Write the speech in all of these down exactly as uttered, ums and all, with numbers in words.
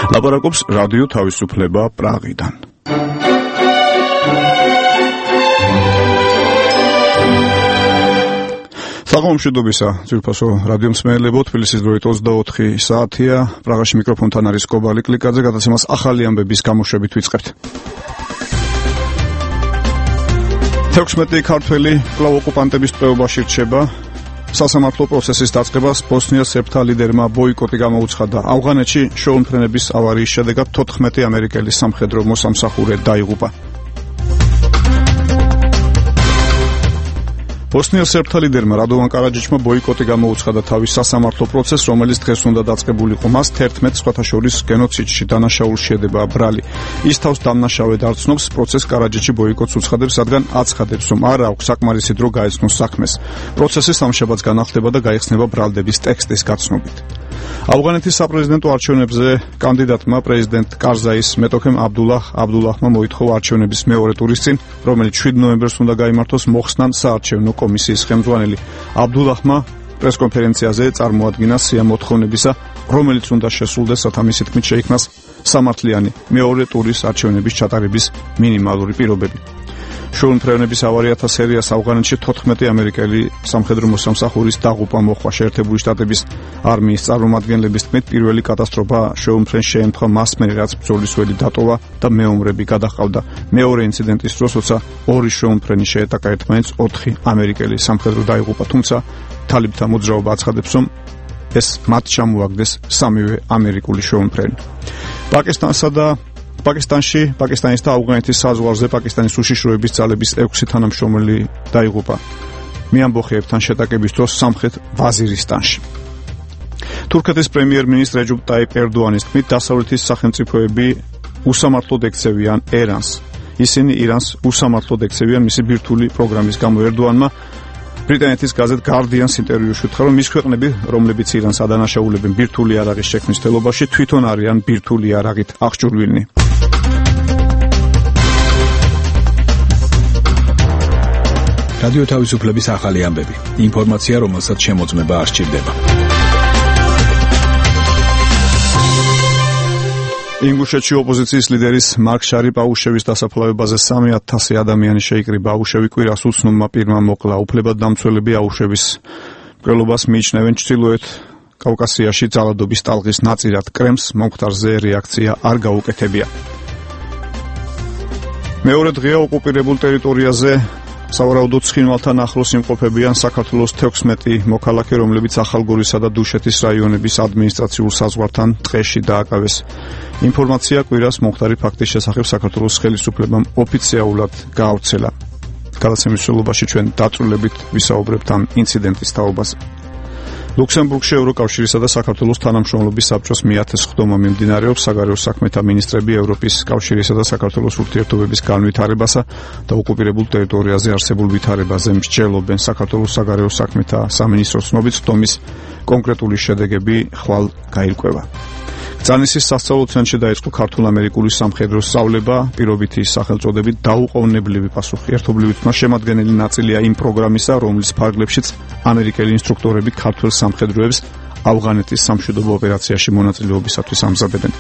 ლაპარაკობს რადიო თავისუფლება პრაღიდან. საღამომშვიდობისა, ძვირფასო რადიო მსმენელებო, თბილისის დროით ოცდაოთხი საათია, პრაღაში მიკროფონთან არის კობალი კლიკაძე, გადაცემას ახალი ამბების გამოშვებით ვიწყებთ. თექვსმეტი ქართველი კვლავ ოკუპანტების ტყვეობაში რჩება. სასამართლო პროცესის დაწყებას ბოსნიას სერბთა ლიდერმა ბოიკოტი გამოუცხადა. ავღანეთში შეუმფრენების ავარიის შედეგად თოთხმეტი ამერიკელი სამხედრო მოსამსახურე დაიღუპა. ბოსნიას სერბთა ლიდერმა რადოვან კარაჯიჩმა ბოიკოტი გამოუცხადა თავის სასამართლო პროცესს, რომელიც დღეს უნდა დაწყებულიყო. მას თერთმეტ სხვათა შორის გენოციდში დანაშაულს შედება ბრალი. ის თავს დამნაშავედ არ ცნობს, პროცესს კარაჯიჩი ბოიკოტს უცხადებს, რადგან აცხადებს, რომ არ აქვს საკმარისი დრო გაეცნოს საქმეს. პროცესი სამშაბათს განახლდება და გაიხსნება ბრალდების ტექსტის გაცნობით. ავღანეთის საპრეზიდენტო არჩევნებზე კანდიდატმა პრეზიდენტ კარზაის მეტოქემ აბდულაჰ აბდულაჰმა მოითხოვა არჩევნების მეორე ტურის წინ, რომელიც შვიდ ნოემბერს უნდა გაიმართოს, მოხსნან საარჩევნო კომისიის ხელმძღვანელი. აბდულაჰმა პრესკონფერენციაზე წარმოადგინა სია მოთხოვნებისა, რომელიც უნდა შესრულდეს, რათა მისი თქმით შეიქმნას სამართლიანი მეორე ტურის არჩევნების ჩატარების მინიმალური პირობები. შეუმფრენების ავარიათა სერიას ავღანეთში თოთხმეტი ამერიკელი სამხედრო მოსამსახურის დაღუპვა მოჰყვა. შეერთებული შტატების არმიის წარმომადგენლების თქმით, პირველი კატასტროფა შეუმფრენს შეემთხვა მასმერი, რაც ბრძოლის ველი დატოვა და მეომრები გადაჰყავდა. მეორე ინციდენტის დროს, როცა ორი შეუმფრენი შეეტაკა ერთმანეთს, ოთხი ამერიკელი სამხედრო დაიღუპა, თუმცა თალიბთა მოძრაობა აცხადებს, რომ ეს მათ ჩამოაგდეს სამივე ამერიკული შეუმფრენი. პაკისტანსა და პაკისტანში, პაკისტანის და ავღანეთის საზღვარზე პაკისტანის უშიშროების ძალების ექვსი თანამშრომელი დაიღუპა მეამბოხეებთან შეტაკების დროს სამხრეთ ვაზირისტანში. თურქეთის პრემიერ-მინისტრ რეჯეპ ტაიპ ერდოანის თქმით, დასავლეთის სახელმწიფოები უსამართლოდ ექცევიან ერანს. ისინი ირანს უსამართლოდ ექცევიან მისი ბირთვული პროგრამის გამო. ერდოანმა ბრიტანეთის გაზეთ Guardian-ს ინტერვიუში უთხრა, რომ ის ქვეყნები, რომლებიც ირანს ადანაშაულებენ ბირთვული იარაღის შექმნის თელობაში, თვითონ არიან ბირთვული იარაღით აღჭურვილნი. რადიო თავისუფლების ახალი ამბები. ინფორმაცია, რომელსაც შემოწმება არ სჭირდება. ინგუშეთში ოპოზიციის ლიდერის მარკ შარიპაუშევის დასაფლავებაზე სამი ათასი ადამიანი შეიკრიბა. აუშევი კვირას უცნობმა პირმა მოკლა. უფლებადდამცველები აუშევის მკვლელობას მიიჩნევენ ჩრდილოეთ კავკასიაში ძალადობის ტალღის ნაწილად. კრემლს მომხდარზე რეაქცია არ გაუკეთებია. მეორე დღეა ოკუპირებულ ტერიტორიაზე სავარაუდოდ ცხინვალთან ახლოს იმყოფებიან საქართველოს თექვსმეტი მოქალაქე, რომლებიც ახალგორისა და დუშეთის რაიონების ადმინისტრაციულ საზღვართან ტყეში დააკავეს. ინფორმაცია კვირას მომხდარი ფაქტის შესახებ საქართველოს ხელისუფლებამ ოფიციალურად გაავრცელა. გადაცემის მსვლელობაში ჩვენ დაწვრილებით ვისაუბრებთ ამ ინციდენტის თაობაზე. ლუქსემბურგში ევროკავშირისა და საქართველოს თანამშრომლობის საბჭოს მეათე სხდომა მიმდინარეობს. საგარეო საქმეთა მინისტრები ევროპის კავშირისა და საქართველოს ურთიერთობების განვითარებასა და ოკუპირებულ ტერიტორიაზე არსებულ ვითარებაზე მსჯელობენ. საქართველოს საგარეო საქმეთა სამინისტროს ცნობით, სხდომის კონკრეტული შედეგები ხვალ გაირკვევა. ბრძანისის სასწავლო ცენტრში დაიწყო ქართულ-ამერიკული სამხედრო სწავლება, პირობითი სახელწოდებით დაუყოვნებლივი პასუხი. ერთობლივი თმა შემადგენელი ნაწილია იმ პროგრამისა, რომლის ფარგლებშიც ამერიკელი ინსტრუქტორები ქართველ სამხედროებს ავღანეთის სამშვიდობო ოპერაციაში მონაწილეობისათვის ამზადებენ.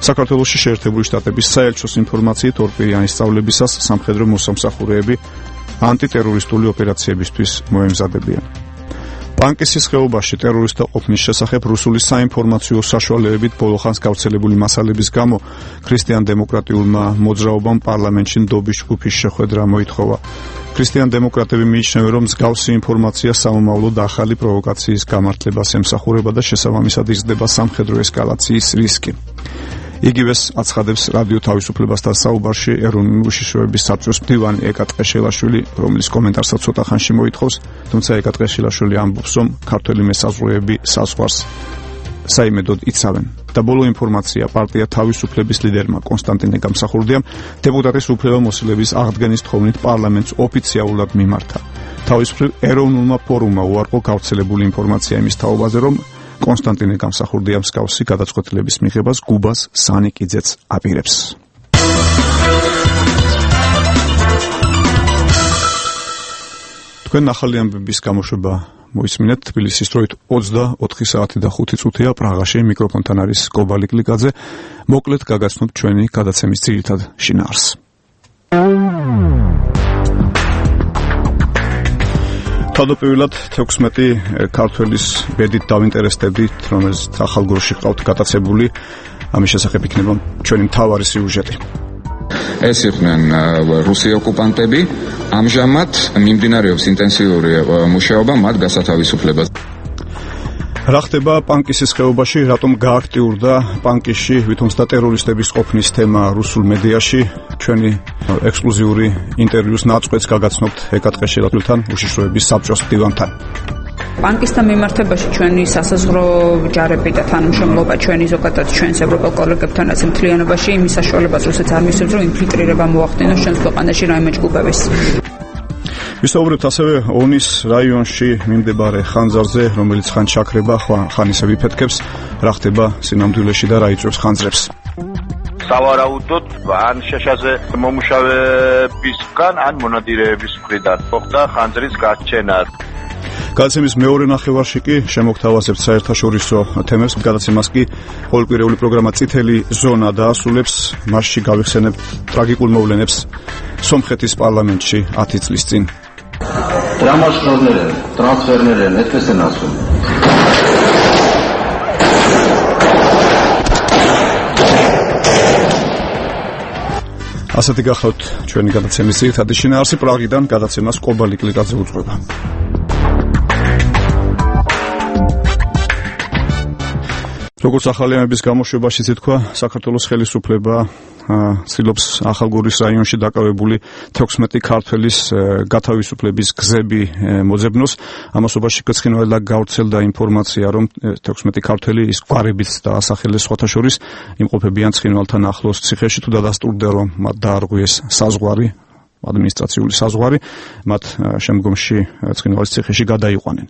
საქართველოში შეერთებული შტატების საელჩოს ინფორმაციით, ორპირიანი სწავლებისას სამხედრო მოსამსახურეები ანტიტერორისტული ოპერაციებისთვის მოემზადებიან. პანკისის ხეობაში ტერორისტთა ყოფნის შესახებ რუსული საინფორმაციო საშუალებებით ბოლოხანს გავრცელებული მასალების გამო ქრისტიან-დემოკრატიულმა მოძრაობამ პარლამენტში ნდობის ჯგუფის შეხვედრა მოითხოვა. ქრისტიან-დემოკრატები მიიჩნევენ, რომ მსგავსი ინფორმაცია სამომავლოდ ახალი პროვოკაციის გამართლებას ემსახურება და შესაბამისად იზრდება სამხედრო ესკალაციის რისკი. იგივეს აცხადებს რადიო თავისუფლებასთან საუბარში ეროვნული უშიშროების საბჭოს მდივანი ეკა ტყეშელაშვილი, რომლის კომენტარსაც ცოტა ხანში მოითხოვს, თუმცა ეკა ტყეშელაშვილი ამბობს, რომ ქართველი მესაზღვრეები საზღვარს საიმედოდ იცავენ. და ბოლო ინფორმაცია, პარტია თავისუფლების ლიდერმა კონსტანტინე გამსახურდიამ დეპუტატის უფლებამოსილების აღდგენის თხოვნით პარლამენტს ოფიციალურად მიმართა. თავისუფლ ეროვნულმა ფორუმმა უარყო გავრცელებული ინფორმაცია იმის თაობაზე, რომ კონსტანტინე გამსახურდია მსგავსი გადაწყვეტილების მიღებას გუბას სანიკიძეც აპირებს. თქვენ ახალი ამბების გამოშვება მოისმინეთ თბილისის დროით ოცდაოთხი საათი და ხუთი წუთია პრაღაში მიკროფონთან არის კობალი კლიკაძე. მოკლედ გაგაცნობთ ჩვენი გადაცემის ძირითად შინაარსს. თავდაპირველად თექვსმეტი ქართველის ბედით დავინტერესდებით, რომელიც ახალგორში ყავთ გატაცებული. ამის შესახებ იქნება ჩვენი მთავარი სიუჟეტი. ეს იყვნენ რუსი ოკუპანტები, ამჟამად მიმდინარეობს ინტენსიური მუშაობა მათ გასათავისუფლებას. რა ხდება პანკისის ხეობაში, რატომ გააქტიურდა პანკისში ვითომცდა ტერორისტების ყოფნის თემა რუსულ მედიაში? ჩვენი ექსკლუზიური ინტერვიუს ნაწყვეტს გაგაცნობთ ეკატყეში რატულთან უშიშროების საბჭოს მდივანთან. პანკისთან მიმართებაში ჩვენი სასაზღვრო ჯარები და თანამშრომლობა ჩვენი ზოგადად ჩვენს ევროპელ კოლეგებთანაც მთლიანობაში იმის საშუალებას რუსეთს არ მისცემს, რომ ინფილტრირება მოახდინოს ჩვენს ქვეყანაში რაიმე ჯგუფების. ვისაუბრებთ ასევე ონის რაიონში მიმდებარე ხანძარზე, რომელიც ხან ჩაქრება, ხან ისე ვიფეთქებს, რა ხდება სინამდვილეში და რა იწვევს ხანძრებს. სავარაუდოდ ან შეშაზე მომუშავებისგან, ან მონადირეების მხრიდან მოხდა ხანძრის გაჩენა. გადაცემის მეორე ნახევარში კი შემოგთავაზებთ საერთაშორისო თემებს. გადაცემას კი ყოველკვირეული პროგრამა წითელი ზონა დაასრულებს. მასში გავიხსენებთ ტრაგიკულ მოვლენებს სომხეთის პარლამენტში ათი წლის წინ. Տրամաշնորհներ, տրանսֆերներ են, այդպես են ասում. ასეთი გახლავთ ჩვენი გადაცემის ძირითადი შინაარსი. პრაღიდან გადაცემას კობალი კლიკაძე უძღვება. როგორც ახალი ამების გამოშვებაშიც ითქვა, საქართველოს ხელისუფლება ცდილობს ახალგორის რაიონში დაკავებული თექვსმეტი ქართველის გათავისუფლების გზები მოძებნოს. ამასობაში გცხინვალა გავრცელდა ინფორმაცია, რომ თექვსმეტი ქართველი ის გვარებით დაასახელეს სხვათა შორის იმყოფებიან ცხინვალთან ახლოს ციხეში. თუ დადასტურდა, რომ მათ დაარღვიეს საზღვარი, ადმინისტრაციული საზღვარი, მათ შემდგომში ცხინვალის ციხეში გადაიყვანენ.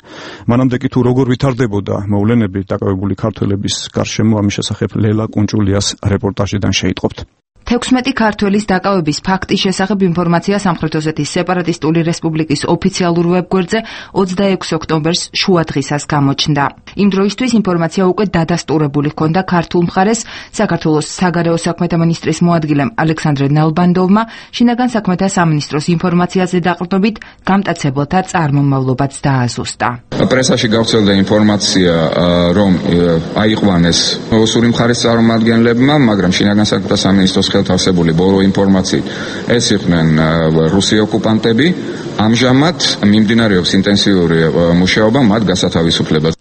მანამდე კი თუ როგორ ვითარდებოდა მოვლენები დაკავებული ქართველების გარშემო, ამის შესახებ ლელა კუნჭულიას რეპორტაჟიდან შეიტყობთ. თექვსმეტი ქართველის დაკავების ფაქტის შესახებ ინფორმაცია სამხრეთ ოსეთის სეპარატისტული რესპუბლიკის ოფიციალურ ვებგვერდზე ოცდაექვსი ოქტომბერს შუადღისას გამოჩნდა. იმ დროისთვის ინფორმაცია უკვე დადასტურებული ჰქონდა ქართულ მხარეს. საქართველოს საგარეო საქმეთა მინისტრის მოადგილემ ალექსანდრე ნალბანდოვმა შინაგან საქმეთა სამინისტროს ინფორმაციაზე დაყრდნობით გამტაცებელთა წარმომავლობაც დააზუსტა. პრესაში გავრცელდა ინფორმაცია, რომ აიყვანეს ოსური მხარის წარმომადგენლებმა, მაგრამ შინაგან საქმეთა სამინისტროს ხელთავსებული ბოლო ინფორმაციით ეს იყვნენ რუსი ოკუპანტები, ამჟამად მიმდინარეობს ინტენსიური მუშაობა მათ გასათავისუფლებას.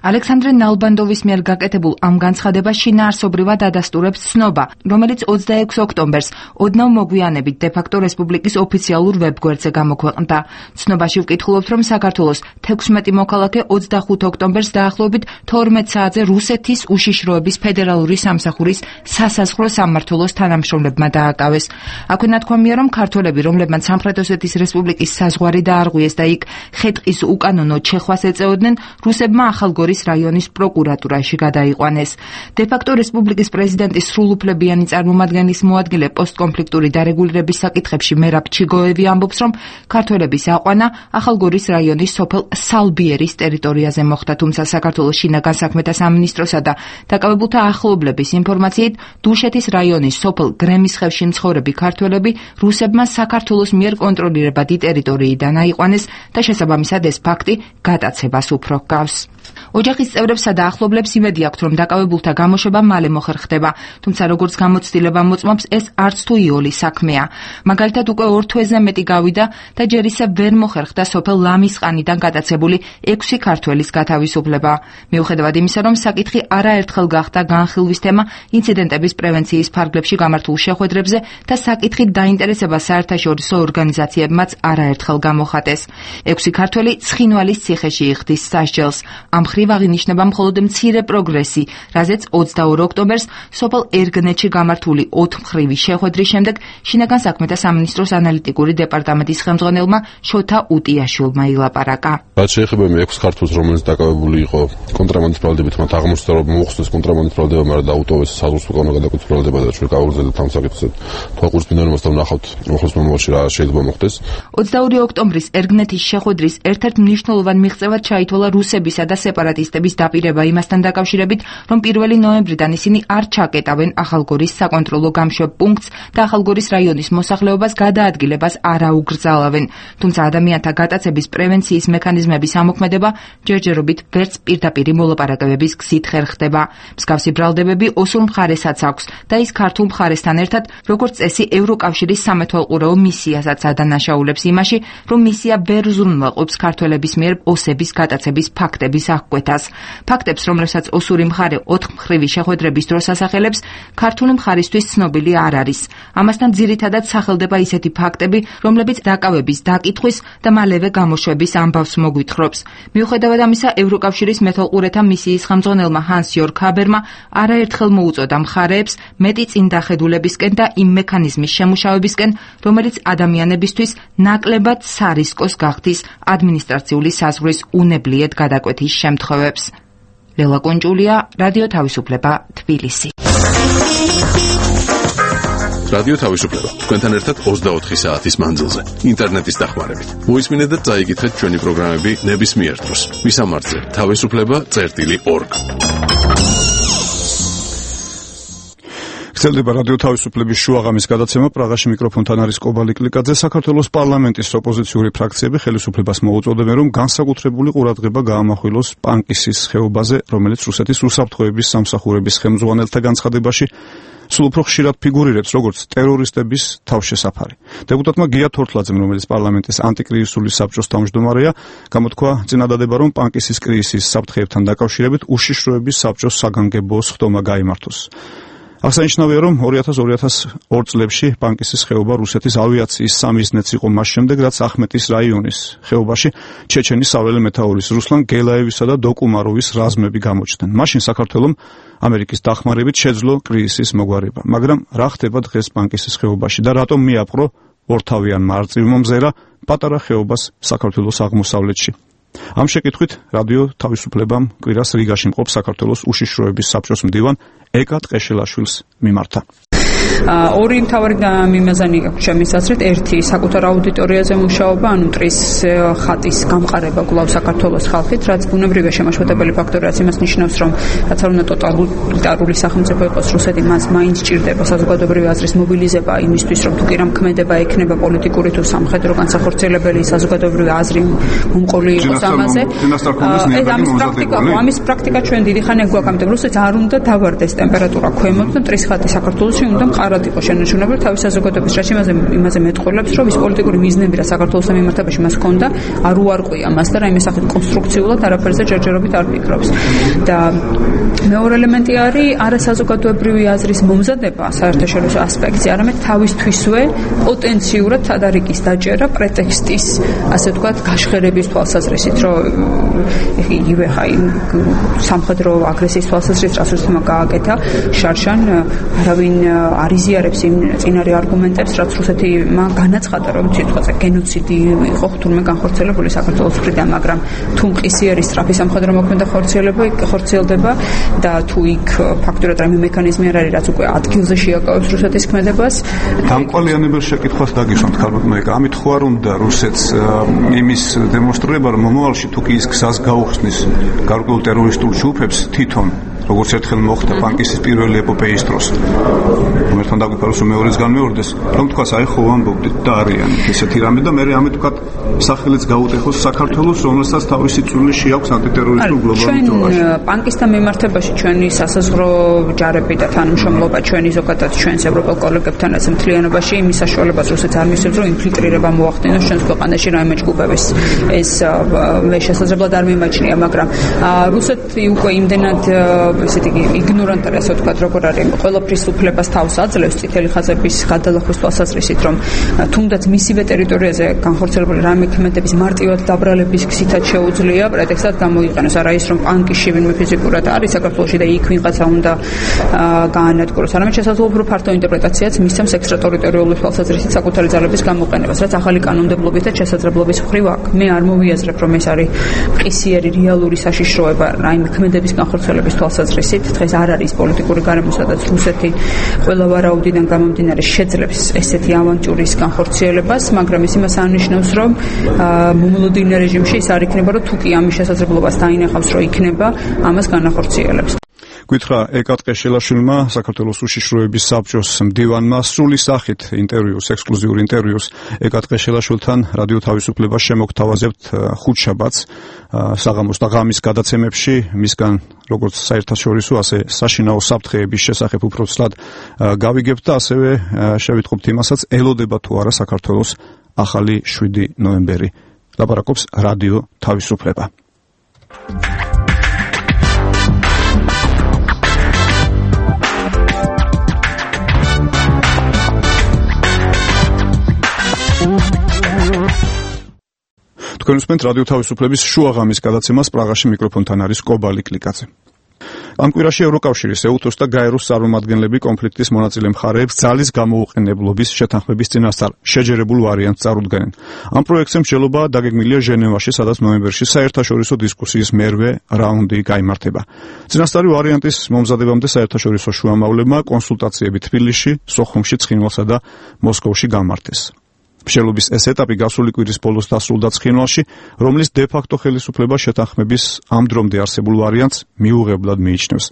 ალექსანდრე ნალბანდოვის მიერ გაკეთებულ ამ განცხადებას შინაარსობრივად ადასტურებს ცნობა, რომელიც ოცდაექვსი ოქტომბერს ოდნავ მოგვიანებით დე-ფაქტო რესპუბლიკის ოფიციალურ ვებგვერდზე გამოქვეყნდა. ცნობაში ვკითხულობთ, რომ საქართველოს თექვსმეტი მოქალაქე ოცდახუთი ოქტომბერს დაახლოებით თორმეტ საათზე რუსეთის უშიშროების ფედერალური სამსახურის სასაზღვრო სამმართველოს თანამშრომლებმა დააკავეს. აქვე ნათქვამია, რომ ქართველები, რომლებმაც სამხრეთ ოსეთის რესპუბლიკის საზღვარი დაარღვიეს და იქ ხეტყის უკანონო ჩეხვას ეწეოდნენ, რუსებმა ახალგორის რაიონის პროკურატურაში გადაიყვანეს. დე-ფაქტო რესპუბლიკის პრეზიდენტის სრულუფლებიანი წარმომადგენლის მოადგილე პოსტკონფლიქტური დარეგულირების საკითხებში მერაბ ჩიგოევი ამბობს, რომ ქართველების აყვანა ახალგორის რაიონის სოფელ სალბიერის ტერიტორიაზე მოხდა, თუმცა საქართველოს შინაგან საქმეთა სამინისტროსა და დაკავებულთა ახლობლების ინფორმაციით დუშეთის რაიონის სოფელ გრემისხევში მცხოვრები ქართველები რუსებმა საქართველოს მიერ კონტროლირებადი ტერიტორიიდან აიყვანეს და შესაბამისად ეს ფაქტი გატაცებას უფრო ჰგავს. ოჯახის წევრებსა და ახლობლებს იმედი აქვთ, რომ დაკავებულთა გამოშვება მალე მოხერხდება, თუმცა როგორც გამოცდილება მოწმობს, ეს არც თუ იოლი საქმეა. მაგალითად, უკვე ორ თვეზე მეტი გავიდა და ჯერ ისევ ვერ მოხერხდა სოფელ ლამისყანიდან გადაცებული ექვსი ქართველის გათავისუფლება. მიუხედავად იმისა, რომ საკითხი არაერთხელ გახდა განხილვის თემა ინციდენტების პრევენციის ფარგლებში გამართულ შეხვედრებზე და საკითხით დაინტერესება საერთაშორისო ორგანიზაციებმაც არაერთხელ გამოხატეს. ექვსი ქართველი ცხინვალის ციხეში იხდის სასჯელს. ამ მხრივ აღინიშნება მხოლოდ მცირე პროგრესი, რაზეც ოცდაორ ოქტომბერს სოფელ ერგნეთში გამართული ოთხმხრივი შეხვედრის შემდეგ შინაგან საქმეთა სამინისტროს ანალიტიკური დეპარტამენტის ხელმძღვანელმა შოთა უტიაშვილმა ილაპარაკა. რაც შეეხება მე ექვს ქართულს, რომელიც დაკავებული იყო კონტრაბანდის ბრალდებით, მათ აღმოჩნდა რომ მოხსნეს კონტრაბანდის ბრალდება, მაგრამ დაუტოვეს საზღვრის უკანა გადაკვეთის ბრალდება და ჩვენ გავუგზავნეთ ამ საკითხზე. თვალყურის მინერალმასთან ვნახავთ მოხსნის მომავალში რა შეიძლება მოხდეს. ოცდაორი ოქტომბრის ერგნეთის შეხვედრის ერთ-ერთ მნიშვნელოვან მიღწევად ჩაითვალა რუსებისა და სეპარატისტების დაპირება იმასთან დაკავშირებით, რომ პირველი ნოემბრიდან ისინი არ ჩაკეტავენ ახალგორის საკონტროლო გამშვებ პუნქტს და ახალგორის რაიონის მოსახლეობას გადაადგილებას არ აუგრძალავენ. თუმცა ადამიანთა გატაცების პრევენციის მექანიზმების ამოქმედება ჯერჯერობით ვერც პირდაპირი მოლაპარაკებების გზით ხერხდება. მსგავსი ბრალდებები ოსურ მხარესაც აქვს და ის ქართულ მხარესთან ერთად, როგორც წესი, ევროკავშირის სამეთვალყურეო მისიასაც ადანაშაულებს იმაში, რომ მისია ვერ ზრუნველყოფს ქართველების მიერ ოსების გატაცების ფაქტების აღკვეთას. ფაქტებს, რომლებსაც ოსური მხარე ოთხმხრივი შეხვედრების დროს ასახელებს, ქართული მხარისთვის ცნობილი არ არის. ამასთან ძირითადად სახელდება ისეთი ფაქტები, რომლებიც დაკავების, დაკითხვის და მალევე გამოშვების ამბავს მოგვითხრობს. მიუხედავად ამისა, ევროკავშირის მეთვალყურეთა მისიის ხელმძღვანელმა ჰანს იორგ ჰაბერმა არაერთხელ მოუწოდა მხარეებს მეტი წინდახედულებისკენ და იმ მექანიზმის შემუშავებისკენ, რომელიც ადამიანებისთვის ნაკლებად სარისკოს გახდის ადმინისტრაციული საზღვრის უნებლიეთ გადაკვეთის შემთხვევებს. ლელა კონჭულია, რადიო თავისუფლება, თბილისი. რადიო თავისუფლება თქვენთან ერთად ოცდაოთხი საათის მანძილზე ინტერნეტის დახმარებით. მოისმინეთ და წაიკითხეთ ჩვენი პროგრამები ნებისმიერ დროს. მისამართზე თავისუფლება წერტილი ორგ. გრძელდება რადიო თავისუფლების შუაღამის გადაცემა. პრაღაში მიკროფონთან არის კობალი კლიკაძე. საქართველოს პარლამენტის ოპოზიციური ფრაქციები ხელისუფლებას მოუწოდებენ, რომ განსაკუთრებული ყურადღება გაამახვილოს პანკისის ხეობაზე, რომელიც რუსეთის უსაფრთხოების სამსახურების ხელმძღვანელთა განცხადებაში სულ უფრო ხშირად ფიგურირებს როგორც ტერორისტების თავშესაფარი. დეპუტატმა გია თორთლაძემ, რომელიც პარლამენტის ანტიკრიზისული საბჭოს თავმჯდომარეა, გამოთქვა წინადადება, რომ პანკისის კრიზისის საფრთხეებთან დაკავშირებით უშიშროების საბჭოს საგანგებო სხდომა გაიმართოს. აღსანიშნავია, რომ ორი ათას ორი ათას ორ წლებში პანკისის ხეობა რუსეთის ავიაციის სამიზნეც იყო მას შემდეგ, რაც ახმეტის რაიონის ხეობაში ჩეჩენის საველე მეთაურის რუსლან გელაევისა და დოკუმაროვის რაზმები გამოჩნდნენ. მაშინ საქართველომ ამერიკის დახმარებით შეძლო კრიზისის მოგვარება. მაგრამ რა ხდება დღეს პანკისის ხეობაში და რატომ მიაპყრო ორთავიანმა არწივმა მზერა პატარა ხეობას საქართველოს აღმოსავლეთში? ამ შეკითხვით რადიო თავისუფლებამ კვირას რიგაში მყოფ საქართველოს უშიშროების საბჭოს მდივან ეკა ტყეშელაშვილს მიმართა. ორი მთავარი მიმაზანი აქვს ჩემის აზრით. ერთი, საკუთარ აუდიტორიაზე მუშაობა, ანუ მტრის ხატის გამყარება გლავ საქართველოს ხალხით, რაც ბუნებრივია შემაშფოთებელი ფაქტორი, რაც იმას ნიშნავს, რომ რაც არ უნდა ტოტალიტარული სახელმწიფო იყოს რუსეთი, მას მაინც ჭირდება საზოგადოებრივი აზრის მობილიზება იმისთვის, რომ თუ კი რამ ქმედება ექნება პოლიტიკური თუ სამხედრო განსახორციელებელი საზოგადოებრივი აზრი მომყოლი იყოს ამაზე. ეს ამის პრაქტიკა, ამის პრაქტიკა ჩვენ დიდი ხანია გვაქვს, ამიტომ რუსეთს არ უნდა დავარდეს ტემპერატურა ქვემოთ და მტრის ხატი საქართველოში უნდა მყარად იყო შენარჩუნებული თავის საზოგადოების რაც იმაზე იმაზე მეტყოლებს, რომ ის პოლიტიკური მიზნები რა საქართველოს მიმართებაში მას ჰქონდა, არ უარყვია მას და რაიმე სახით კონსტრუქციულად არაფერზე ჯერჯერობით არ ფიქრობს. და მეორე ელემენტი არის არასაზოგადოებრივი აზრის მომზადება საერთაშორისო ასპექტზე, არამედ თავისთვისვე პოტენციურად თადარიკის დაჭერა პრეტექსტის, ასე ვთქვათ, გაშხერების თვალსაზრისით, რომ იგივე ხაი სამხედრო აგრესიის თვალსაზრისით რაც რუსეთმა გააკეთა შარშან არავინ არ იზიარებს იმ წინარე არგუმენტებს, რაც რუსეთმა განაცხადა, რომ სიტყვაზე გენოციდი იყო თურმე განხორციელებული საქართველოს მხრიდან, მაგრამ თუ მყისიერი სწრაფი სამხედრო მოქმედება ხორციელდება და თუ იქ ფაქტურად რაიმე მექანიზმი არ არის, რაც უკვე ადგილზე შეაკავებს რუსეთის ქმედებას. დამყალიანებელ შეკითხვას დაგისვამთ, ქალბატონო ეკა, ამით ხო არ უნდა რუსეთს იმის დემონსტრირება, რომ მომავალში თუ კი ის გზას გაუხსნის გარკვეულ ტერორისტულ ჯგუფებს თვითონ როგორც ერთხელ მოხდა პანკისის პირველი ეპოპეის დროს. რომელთან დაგვიფაროს რომ მეორეც განმეორდეს, რომ თქვას აი ხო ამბობდით და არიან ესეთი რამე და მე ამით ვქათ სახელიც გაუტეხოს საქართველოს, რომელსაც თავისი წვლილი შეაქვს ანტიტერორისტულ გლობალურ ჯგუფში. ჩვენ პანკისთან მიმართებაში ჩვენი სასაზღვრო ჯარები და თანამშრომლობა ჩვენი ზოგადად ჩვენს ევროპელ კოლეგებთანაც მთლიანობაში იმის საშუალებას რუსეთს არ მისცემს, რომ ინფილტრირება მოახდინოს ჩვენს ქვეყანაში რაიმე ჯგუფების ეს მე შესაძლებლად არ მიმაჩნია, მაგრამ რუსეთი უკვე იმდენად ესეთი იგნორანტი ასე ვთქვათ, როგორ არის, ყველაფრის უფლებას თავს აძლევს წითელი ხაზების გადალახვის თვალსაზრისით, რომ თუნდაც მისივე ტერიტორიაზე განხორციელებული რამე ქმედების მარტივად დაბრალების გზითაც შეუძლია პრეტექსტად გამოიყენოს, არა ის რომ პანკიში ვინმე ფიზიკურად არის საქართველოში და იქ ვიღაცა უნდა გაანადგუროს, არამედ შესაძლოა უფრო ფართო ინტერპრეტაციაც მისცემს ექსტრატერიტორიული თვალსაზრისით საკუთარი ძალების გამოყენებას, რაც ახალი კანონმდებლობის და შესაძლებლობის მხრივ აქვს. მე არ მოვიაზრებ, რომ ეს არის მყისიერი რეალური საშიშროება რაიმე ქმედების განხორციელების თვალსაზრისით. დღეს არ არის პოლიტიკური გარემო, სადაც რუსეთი ყველა ვარაუდიდან გამომდინარე შეძლებს ესეთი ავანტურის განხორციელებას, მაგრამ ის იმას ანიშნავს, რომ მომლოდინე რეჟიმში ის არ იქნება, რომ თუ კი ამის შესაძლებლობას დაინახავს, რომ იქნება, ამას განახორციელებს. გითხრა ეკა ტყეშელაშვილმა საქართველოს უშიშროების საბჭოს მდივანმა სრული სახით ინტერვიუს, ექსკლუზიური ინტერვიუს ეკა ტყეშელაშვილთან რადიო თავისუფლებას შემოგთავაზებთ ხუთშაბათს საღამოს და ღამის გადაცემებში, მისგან როგორც საერთაშორისო, ასე საშინაო საფრთხეების შესახებ უფრო ცლად გავიგებთ და ასევე შევიტყობთ იმასაც, ელოდება თუ არა საქართველოს ახალი შვიდი ნოემბერი. ლაპარაკობს რადიო თავისუფლება. თქვენ უსმენთ რადიო თავისუფლების შუაღამის გადაცემას, პრაღაში მიკროფონთან არის კობალი კლიკაძე. ამ კვირაში ევროკავშირის, ეუთოს და გაეროს წარმომადგენლები კონფლიქტის მონაწილე მხარეებს ძალის გამოუყენებლობის შეთანხმების წინასწარ შეჯერებულ ვარიანტს წარუდგენენ. ამ პროექტზე მსჯელობა დაგეგმილია ჟენევაში, სადაც ნოემბერში საერთაშორისო დისკუსიის მერვე რაუნდი გაიმართება. წინასწარი ვარიანტის მომზადებამდე საერთაშორისო შუამავლებმა კონსულტაციები თბილისში, სოხუმში, ცხინვალსა და მოსკოვში გამართეს. მსჯელობის ეს ეტაპი გასული კვირის ბოლოს დასრულდა ცხინვალში, რომლის დე-ფაქტო ხელისუფლება შეთანხმების ამ დრომდე არსებულ ვარიანტს მიუღებლად მიიჩნევს.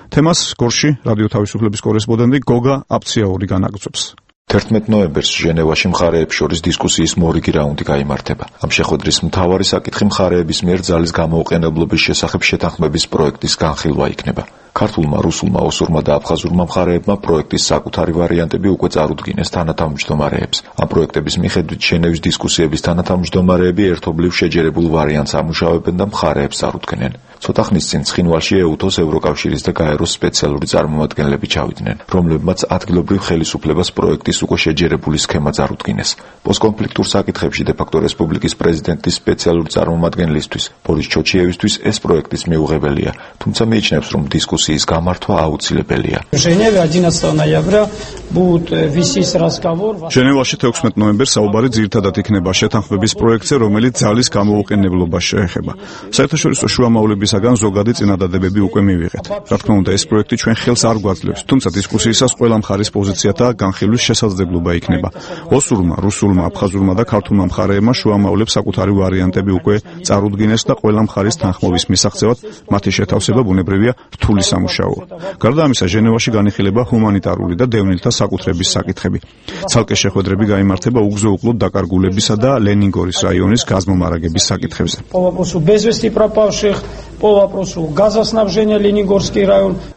თემას გორში რადიო თავისუფლების კორესპონდენტი გოგა აფციაური განაგრძობს. თერთმეტ ნოემბერს ჟენევაში მხარეებს შორის დისკუსიის მორიგი რაუნდი გაიმართება. ამ შეხვედრის მთავარი საკითხი მხარეების მიერ ძალის გამოუყენებლობის შესახებ შეთანხმების პროექტის განხილვა იქნება. ქართულმა, რუსულმა, ოსურმა და აფხაზურმა მხარეებმა პროექტის საკუთარი ვარიანტები უკვე წარუდგინეს თანათავმჯდომარეებს. ამ პროექტების მიხედვით ჟენევის დისკუსიების თანათავმჯდომარეები ერთობლივ შეჯერებულ ვარიანტს ამუშავებენ და მხარეებს წარუდგენენ. ცოტა ხნის წინ ცხინვალში ეუთოს, ევროკავშირის და გაეროს სპეციალური წარმომადგენლები ჩავიდნენ, რომლებმაც ადგილობრივ ხელისუფლებას პროექტის უკვე შეჯერებული სქემა წარუდგინეს. პოსტკონფლიქტურ საკითხებში დე-ფაქტო რესპუბლიკის პრეზიდენტის სპეციალური წარმომადგენლისთვის, ბორის ჩოჩიევისთვის ეს პროექტის მიუღებელია, თუმცა მიიჩნევს, რომ დისკუსიის გამართვა აუცილებელია. ჟენევაში თექვსმეტ ნოემბერს საუბარი ძირითადად იქნება შეთანხმების პროექტზე, რომელიც ძალის გამოუყენებლობას შეეხება. საერთაშორისო შუამავლებისაგან ზოგადი წინადადებები უკვე მივიღეთ. რა თქმა უნდა, ეს პროექტი ჩვენ ხელს არ გვაძლევს, თუმცა დისკუსიისას ყველა მხარის პოზიციათა განხილვის შესაძლებლობა იქნება. ოსურმა, რუსულმა, აფხაზურმა და ქართულმა მხარეებმა შუამავლებს საკუთარი ვარიანტები უკვე წარუდგინეს და ყველა მხარის თანხმობის მისაღწევად მათი შეთავსება ბუნებრივია რთული სამუშაოა. გარდა ამისა, ჟენევაში განიხილება ჰუმანიტარული და დევნილთა საკუთრების საკითხები. ცალკე შეხვედრები გაიმართება უგზო-უკლოდ დაკარგულებისა და ლენინგორის რაიონის გაზმომარაგების საკითხებზე.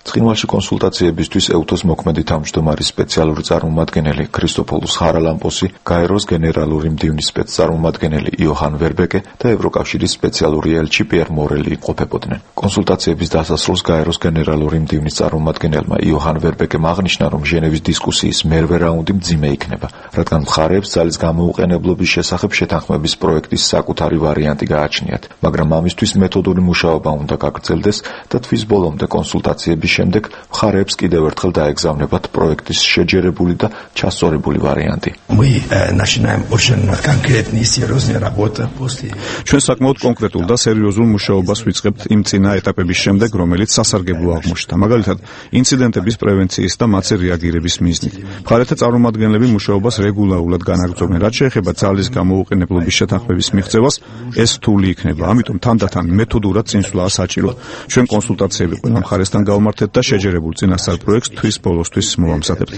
ცხინვალში კონსულტაციებისთვის ეუთოს მოქმედი თავმჯდომარის სპეციალური წარმომადგენელი ქრისტოფოლუს ხარალამპოსი, გაეროს გენერალური მდივნის სპეცწარმომადგენელი იოჰან ვერბეკე და ევროკავშირის სპეციალური ელჩი პიერ მორელი იმყოფებოდნენ. კონსულტაციების დასასრულს გაეროს გენერალური მდივნის წარმომადგენელმა იოჰან ვერბეკემ აღნიშნა, რომ ჟენევის დისკუსიის მერვე რაუნდი მძიმე იქნება, რადგან მხარეებს ძალის გამოუყენებლობის შესახებ შეთანხმების პროექტის საკუთარი ვარიანტი გააჩნიათ, მაგრამ ამისთვის მეთოდური მუშაობა უნდა გაგრძელდეს და თვის ბოლომდე კონსულტაციების შემდეგ მხარეებს კიდევ ერთხელ დაეგზავნებათ პროექტის შეჯერებული და ჩასწორებული ვარიანტი. ჩვენ საკმაოდ კონკრეტულ და სერიოზულ მუშაობას ვიწყებთ იმ წინა ეტაპების შემდეგ, რომელიც სასარგებლო აღმოჩნდა, მაგალითად ინციდენტების პრევენციის და მათზე რეაგირების მიზნით. მხარეთა წარმომადგენლები მუშაობას რეგულარულად განაგრძობენ. რაც შეეხება ძალის გამოუყენებლობის შეთანხმების მიღწევას, ეს რთული იქნება, ამიტომ თანდათან მეთოდურად წინსვლაა საჭირო. ჩვენ კონსულტაციები ყველა მხარესთან გავმართეთ და შეჯერებულ წინასწარ პროექტს თვის ბოლოსთვის მოვამზადებთ.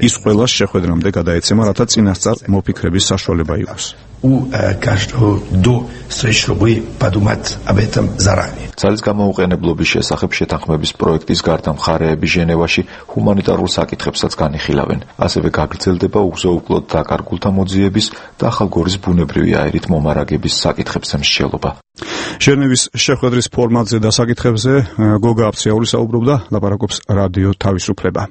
ის ყველას შეხვედრამდე გადაეცემა, რათა წინასწარ მოფიქრების საშუალება იყოს. у каждого до встречи, чтобы подумать об этом заранее. ძალის გამოუყენებლობის შესახებ შეთანხმების პროექტის გარდა მხარეები ჟენევაში ჰუმანიტარულ საკითხებსაც განიხილავენ. ასევე გაგრძელდება უგზო-უკვლოდ დაკარგულთა მოძიების და ახალგორის ბუნებრივი აირით მომარაგების საკითხებზე მსჯელობა. ჟენევის შეხვედრის ფორმატზე და საკითხებზე გოგა აფციაური საუბრობდა, ლაპარაკობს რადიო თავისუფლება.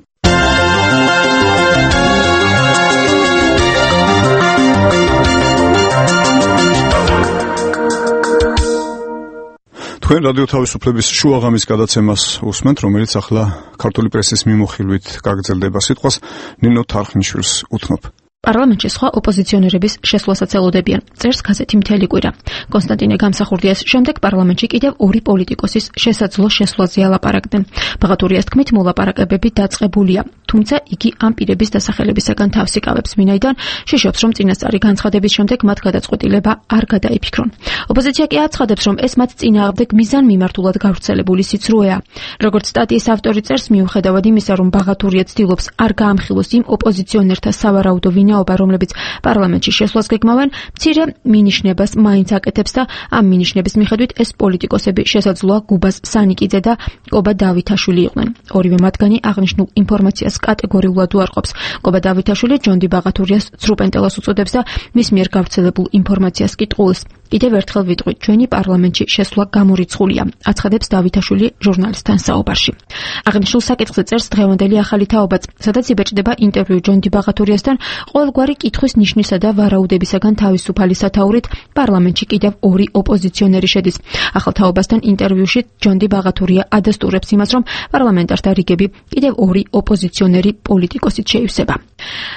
თქვენ რადიო თავისუფლების შუაღამის გადაცემას უსმენთ, რომელიც ახლა ქართული პრესის მიმოხილვით გაგრძელდება. სიტყვას ნინო თარხნიშვილს უთმობ. პარლამენტში სხვა ოპოზიციონერების შესვლასაც ელოდებიან. წერს გაზეთი მთელი კვირა. კონსტანტინე გამსახურდიას შემდეგ პარლამენტში კიდევ ორი პოლიტიკოსის შესაძლო შესვლაზე ალაპარაკდნენ. ბაღატურიას თქმით, მოლაპარაკებები დაწყებულია, თუმცა იგი ამ პირების დასახელებისაგან თავს იკავებს, ვინაიდან შეშობს, რომ წინასწარი განცხადების შემდეგ მათ გადაწყვეტილება არ გადაიფიქრონ. ოპოზიცია კი აცხადებს, რომ ეს მათ წინააღმდეგ მიზანმიმართულად გავრცელებული სიცრუეა. როგორც სტატიის ავტორი წერს, მიუხედავად იმისა, რომ ბაღატურია ცდილობს არ გაამხილოს იმ ოპოზიციონერთა სავარაუდო ვინაობა, რომლებიც პარლამენტში შესვლას გეგმავენ, მცირე მინიშნებას მაინც აკეთებს და ამ მინიშნების მიხედვით ეს პოლიტიკოსები შესაძლოა გუბას სანიკიძე და კობა დავითაშვილი იყვნენ. ორივე მათგანი აღნიშნულ ინფორმაციას კატეგორიულად უარყოფს. კობა დავითაშვილი ჯონდი ბაღატურიას ცრუპენტელას უწოდებს და მის მიერ გავრცელებულ ინფორმაციას კითხულს. კიდევ ერთხელ ვიტყვით, ჩვენი პარლამენტში შესვლა გამორიცხულია, აცხადებს დავითაშვილი ჟურნალისტთან საუბარში. აღნიშნულ საკითხზე წერს დღევანდელი ახალი თაობაც, სადაც იბეჭდება ინტერვიუ ჯონდი ბაღატურიასთან, ყოველგვარი კითხვის ნიშნისა და ვარაუდებისაგან თავისუფალი სათაურით პარლამენტში კიდევ ორი ოპოზიციონერი შედის. ახალ თაობასთან ინტერვიუში ჯონდი ბაღატურია ადასტურებს იმას, რომ პარლამენტართა რიგები კიდევ ორი ოპოზიციონერი პოლიტიკოსით შეივსება.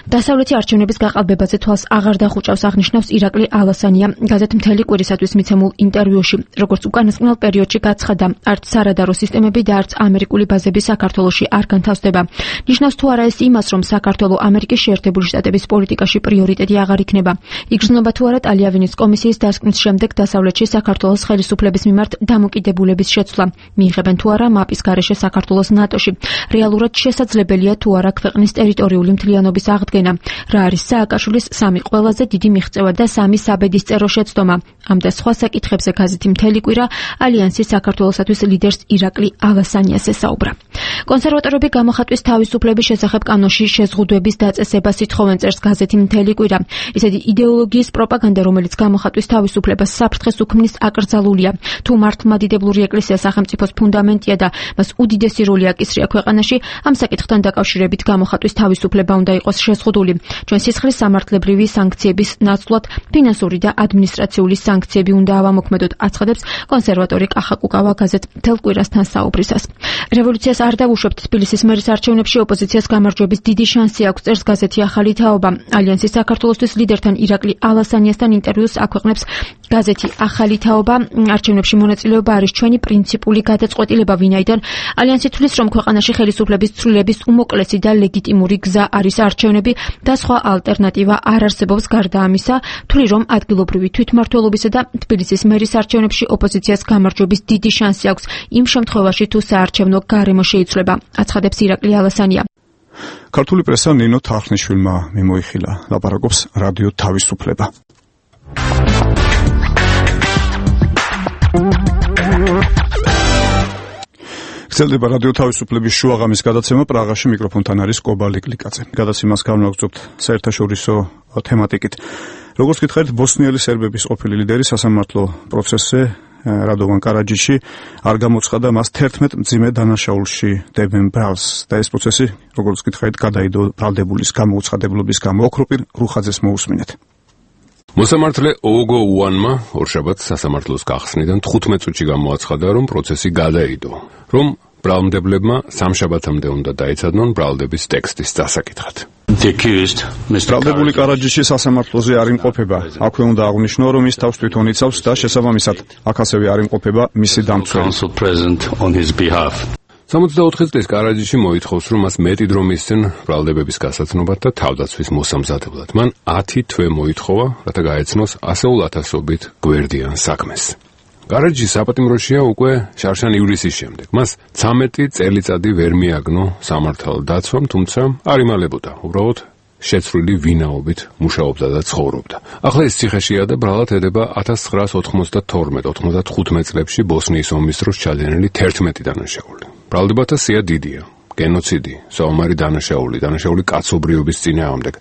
დასავლეთი არჩევნების გაყალბებაზე თვალს აღარ დახუჭავს, აღნიშნავს ირაკლი ალასანია გაზეთ მთელი კვირისათვის მიცემულ ინტერვიუში. როგორც უკანასკნელ პერიოდში გაცხადა, არც სარადარო სისტემები და არც ამერიკული ბაზები საქართველოში არ განთავსდება. ნიშნავს თუ არა ეს იმას, რომ საქართველო ამერიკის შეერთებული შტატების პოლიტიკაში პრიორიტეტი აღარ იქნება. იგრძნობა თუ არა ტალიავინის კომისიის დასკვნის შემდეგ დასავლეთში საქართველოს ხელისუფლების მიმართ დამოკიდებულების შეცვლა. მიიღებენ თუ არა მაპის გარეშე საქართველოს ნატოში. რეალურად შესაძლებელია თუ არა ქვეყნის ტერიტორიული მთლიანობის აღდგენა. რა არის სააკაშვილის სამი ყველაზე დიდი მიღწევა და სამი საბედისწერო შეცდომა. ამ და სხვა საკითხებზე გაზეთი მთელი კვირა ალიანსის საქართველოსათვის ლიდერს ირაკლი ალასანიას ესაუბრა. კონსერვატორები გამოხატვის თავისუფლების შესახებ კანონში შეზღუდვების დაწესებას ითხოვენ, წერს გაზეთი მთელი კვირა. ისეთი იდეოლოგიის პროპაგანდა, რომელიც გამოხატვის თავისუფლებას საფრთხეს უქმნის, აკრძალულია. თუ მართლმადიდებლური ეკლესია სახელმწიფოს ფუნდამენტია და მას უდიდესი როლი აკისრია ქვეყანაში, ამ საკითხთან დაკავშირებით გამოხატვის თავისუფლება უნდა იყოს შეზღუდული. ჩვენ სისხლის სამართლებრივი სანქციების ნაცვლად ფინანსური და ადმინისტრაციული სანქციები უნდა ავამოქმედოთ, აცხადებს კონსერვატორი კახა კუკავა გაზეთ მთელ კვირასთან საუბრისას. რევოლუციას არ დავუშვებთ, თბილისის მერის არჩევნებში ოპოზიციას გამარჯვების დიდი შანსი აქვს, წერს გაზეთი ახალი თაობა. ალიანსის საქართველოსთვის ლიდერთან ირაკლი ალასანიასთან ინტერვიუს აქვეყნებს გაზეთი ახალი თაობა. არჩევნებში მონაწილეობა არის ჩვენი პრინციპული გადაწყვეტილება, ვინაიდან ალიანსი თვლის, რომ ქვეყანაში ხელისუფლების ცვლილების უმოკლესი და ლეგიტიმური გზა არის არჩევნები და სხვა ალტერნატივა არ არსებობს. გარდა ამისა, თვლი, რომ ადგილობრივი თვითმმართველობისა და თბილისის მერის არჩევნებში ოპოზიციას გამარჯვების დიდი შანსი აქვს იმ შემთხვევაში, თუ საარჩევნო გარემო შეიცვლება, აცხადებს ირაკლი ალასანია. ქართული პრესა ნინო თარხნიშვილმა მიმოიხილა, ლაპარაკობს რადიო თავისუფლება. გრძელდება რადიო თავისუფლების შუაღამის გადაცემა. პრაღაში მიკროფონთან არის კობა ლიკლიკაძე. გადაცემას განვაგრძობთ საერთაშორისო თემატიკით. როგორც გითხარით, ბოსნიელი სერბების ყოფილი ლიდერი სასამართლო პროცესზე რადოვან კარაჯიში არ გამოცხადა მას თერთმეტ მძიმე დანაშაულში დებენ ბრალს და ეს პროცესი, როგორც გითხარით, გადაიდო ბრალდებულის გამოუცხადებლობის გამო. ოქროპირ რუხაძეს მოусმინეთ. მოსამართლე ოგო უანმა ორშაბათს სასამართლოს გახსნიდან თხუთმეტ წუთში გამოაცხადა, რომ პროცესი გადაიდო, რომ ბრალმდებლებმა სამშაბათამდე უნდა დაეცადნონ ბრალდების ტექსტის დასაკითხად. ბრალდებული კარაჯიში სასამართლოზე არ იმყოფება. აქვე უნდა აღვნიშნო, რომ ის თავს თვითონ იცავს და შესაბამისად აქ ასევე არ იმყოფება მისი დამცველი. სამოცდაოთხი წლის კარაჯიში მოითხოვს, რომ მას მეტი დრო მისცენ ბრალდებების გასაცნობად და თავდაცვის მოსამზადებლად. მან ათი თვე მოითხოვა, რათა გაეცნოს ასეულ ათასობით გვერდიან საქმეს. კარაჯის საპატიმროშია უკვე შარშან ივლისის შემდეგ. მას ცამეტი წელიწადი ვერ მიაგნო სამართალ დაცვამ, თუმცა არ იმალებოდა. უბრალოდ შეცვლილი ვინაობით მუშაობდა და ცხოვრობდა. ახლა ის ციხეშია და ბრალად ედება ათას ცხრაას ოთხმოცდათორმეტ ოთხმოცდათხუთმეტ წლებში ბოსნიის ომის დროს ჩადენილი თერთმეტი დანაშაული. ბრალდებათა სია დიდია. გენოციდი, საომარი დანაშაული, დანაშაული კაცობრიობის წინააღმდეგ,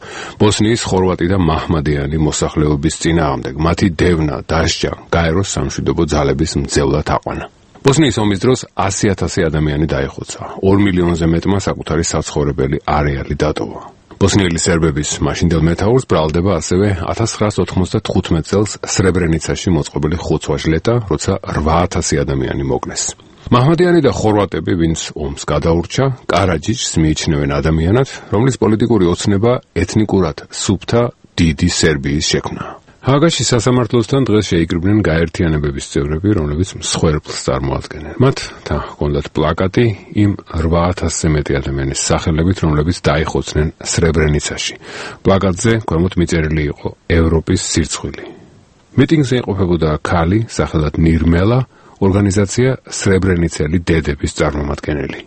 ბოსნიის ხორვატი და მაჰმადიანი მოსახლეობის წინააღმდეგ, მათი დევნა, დასჯა, გაეროს სამშვიდობო ძალების მძევლად აყვანა. ბოსნიის ომის დროს ასი ათასი ადამიანი დაიხოცა, ორ მილიონზე მეტმა საკუთარი საცხოვრებელი არეალი დატოვა. ბოსნიელი სერბების მაშინდელ მეთაურს ბრალდება ასევე ათას ცხრაას ოთხმოცდათხუთმეტ წელს სრებრენიცაში მოწყობილი ხოცვა-ჟლეტა, როცა რვა ათასი ადამიანი მოკლეს. მაჰმადიანი და ხორვატები, ვინც ომს გადაურჩა, კარაჯიჩს მიიჩნევენ ადამიანად, რომლის პოლიტიკური ოცნება ეთნიკურად სუფთა დიდი სერბიის შექმნა. ჰააგაში სასამართლოსთან დღეს შეიკრიბნენ გაერთიანებების წევრები, რომლებიც მსხვერპლს წარმოადგენენ. მათ თან ჰქონდათ პლაკატი იმ რვა ათასზე მეტი ადამიანის სახელებით, რომლებიც დაიხოცნენ სრებრენიცაში. პლაკატზე ქვემოთ მიწერილი იყო ევროპის სირცხვილი. მიტინგზე იმყოფებოდა ქალი, სახელად ნირმელა, ორგანიზაცია სრებრენიცელი დედების წარმომადგენელი.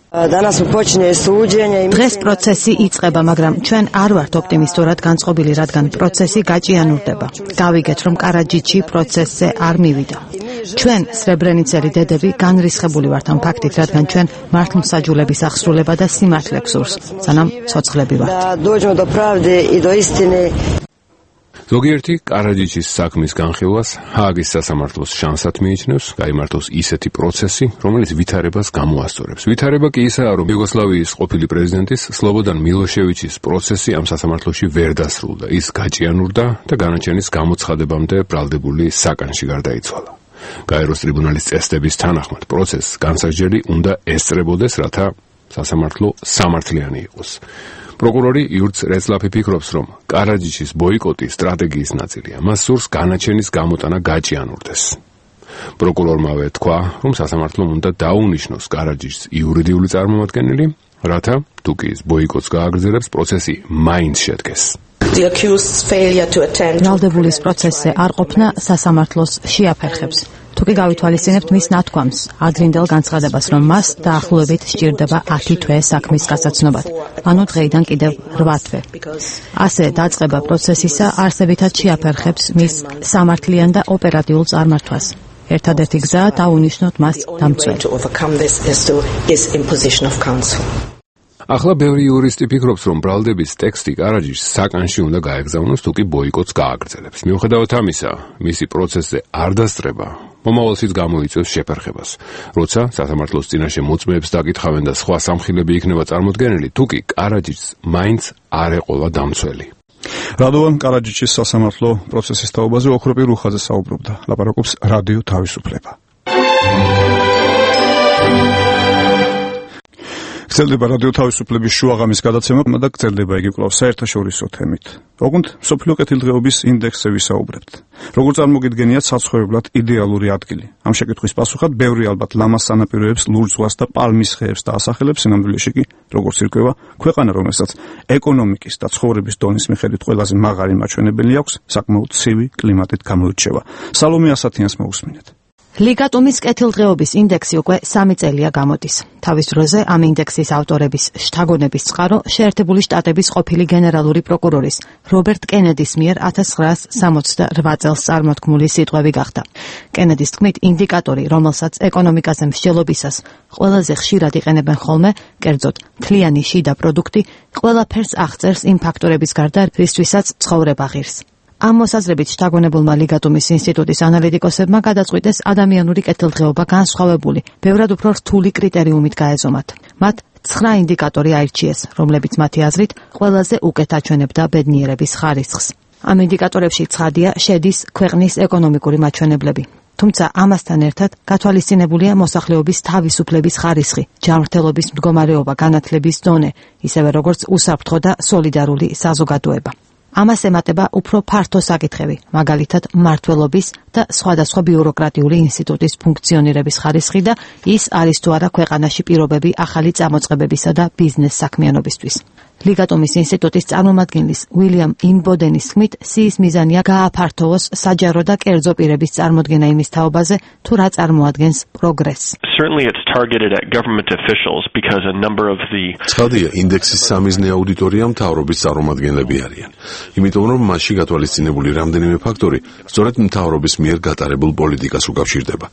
დღეს პროცესი იწყება, მაგრამ ჩვენ არ ვართ ოპტიმისტურად განწყობილი, რადგან პროცესი გაჭიანურდება. გავიგეთ, რომ კარაჯიჩი პროცესზე არ მივიდა. ჩვენ სრებრენიცელი დედები განრისხებული ვართ ამ ფაქტით, რადგან ჩვენ მართლმსაჯულების აღსრულება და სიმართლე გსურს, სანამ ცოცხლები ვართ. ზოგიერთი კარაჯიჩის საქმის განხილვას ჰააგის სასამართლოს შანსად მიიჩნევს, გაიმართოს ისეთი პროცესი, რომელიც ვითარებას გამოასწორებს. ვითარება კი ისაა, რომ იუგოსლავიის ყოფილი პრეზიდენტის სლობოდან მილოშევიჩის პროცესი ამ სასამართლოში ვერ დასრულდა. ის გაჭიანურდა და განაჩენის გამოცხადებამდე ბრალდებული საკანში გარდაიცვალა. გაეროს ტრიბუნალის წესდების თანახმად პროცესს განსაჯელი უნდა ესწრებოდეს, რათა სასამართლო სამართლიანი იყოს. პროკურორი იურც რეცლაფი ფიქრობს, რომ კარაჯიჩის ბოიკოტი სტრატეგიის ნაწილია. მას სურს განაჩენის გამოტანა გაჭიანურდეს. პროკურორმავე თქვა, რომ სასამართლომ უნდა დაუნიშნოს კარაჯიჩს იურიდიული წარმომადგენელი, რათა თუ კი ის ბოიკოტს გააგრძელებს, პროცესი მაინც შედგეს. ბრალდებულის პროცესზე არ ყოფნა სასამართლოს შეაფერხებს. თუ კი გავითვალისწინებთ მის ნათქვამს, ადრინდელ განცხადებას, რომ მას დაახლოებით სჭირდება ათი თვე საქმის გასაცნობად, ანუ დღეიდან კიდევ რვა თვე. ასე დაწყება პროცესისა არსებითად შეაფერხებს მის სამართლიან და ოპერატიულ წარმართვას. ერთადერთი გზაა დაუნიშნოთ მას დამცველი. ახლა ბევრი იურისტი ფიქრობს, რომ ბრალდების ტექსტი კარაჯიჩს საკანში უნდა გაეგზავნოს, თუ კი ბოიკოტს გააგრძელებს. მიუხედავად ამისა, მისი პროცესზე არ დასწრება მომავალშიც გამოიწვევს შეფერხებას. როცა სასამართლოს წინაშე მოწმეებს დაკითხავენ და სხვა სამხილები იქნება წარმოდგენილი, თუ კი კარაჯიჩს მაინც არ ეყოლა დამცველი. რადოვან კარაჯიჩის სასამართლო პროცესის თაობაზე ოქროპი რუხაძე საუბრობდა. ლაპარაკობს რადიო თავისუფლება. გრძელდება რადიო თავისუფლების შუაღამის გადაცემა და გრძელდება იგი კვლავ საერთაშორისო თემით. ოღონდ მსოფლიო კეთილდღეობის ინდექსზე ვისაუბრებთ. როგორ წარმოგიდგენიათ საცხოვრებლად იდეალური ადგილი? ამ შეკითხვის პასუხად ბევრი ალბათ ლამას სანაპიროებს, ლურჯ ზღვას და პალმის ხეებს დაასახელებს, სინამდვილეში კი როგორც ირკვევა, ქვეყანა, რომელსაც ეკონომიკის და ცხოვრების დონის მიხედვით ყველაზე მაღალი მაჩვენებელი აქვს, საკმაოდ ცივი კლიმატით გამოირჩევა. სალომე ასათიანს მოусმინეთ. ლიგატუმის კეთილდღეობის ინდექსი უკვე სამი წელია გამოდის. თავის დროზე ამ ინდექსის ავტორების შთაგონების წყარო შეერთებული შტატების ყოფილი გენერალური პროკურორის რობერტ კენედის მიერ ათას ცხრაას სამოცდარვა წელს წარმოთქმული სიტყვები გახდა. კენედის თქმით, ინდიკატორი, რომელსაც ეკონომიკაზე მსჯელობისას ყველაზე ხშირად იყენებენ ხოლმე, კერძოდ მთლიანი შიდა პროდუქტი, ყველაფერს აღწერს იმ ფაქტორების გარდა, რისთვისაც ცხოვრება ღირს. ამ მოსაზრებით შთაგონებულმა ლიგატუმის ინსტიტუტის ანალიტიკოსებმა გადაწყვიტეს ადამიანური კეთილდღეობა განსხვავებული, ბევრად უფრო რთული კრიტერიუმით გაეზომათ. მათ ცხრა ინდიკატორი აირჩიეს, რომლებიც მათი აზრით ყველაზე უკეთ აჩვენებდა ბედნიერების ხარისხს. ამ ინდიკატორებში ცხადია შედის ქვეყნის ეკონომიკური მაჩვენებლები. თუმცა ამასთან ერთად გათვალისწინებულია მოსახლეობის თავისუფლების ხარისხი, ჯანმრთელობის მდგომარეობა, განათლების დონე, ისევე როგორც უსაფრთხო და სოლიდარული საზოგადოება. ამას ემატება უფრო ფართო საკითხები, მაგალითად მმართველობის და სხვადასხვა ბიუროკრატიული ინსტიტუტის ფუნქციონირების ხარისხი და ის არის თუ არა ქვეყანაში პირობები ახალი წამოწყებებისა და ბიზნეს საქმიანობისთვის. ლიგატომის ინსტიტუტის წარმომადგენლის უილიამ ინბოდენის თქმით, სიის მიზანია გააფართოვოს საჯარო და კერძო პირების წარმოდგენა იმის თაობაზე, თუ რა წარმოადგენს პროგრესს. Certainly it's targeted at government officials because a number of the ცხადია, ინდექსის სამიზნე აუდიტორია მთავრობის წარმომადგენლები არიან. იმიტომ რომ მასში გათვალისწინებული რამდენიმე ფაქტორი სწორედ მთავრობის მიერ გატარებულ პოლიტიკას უკავშირდება.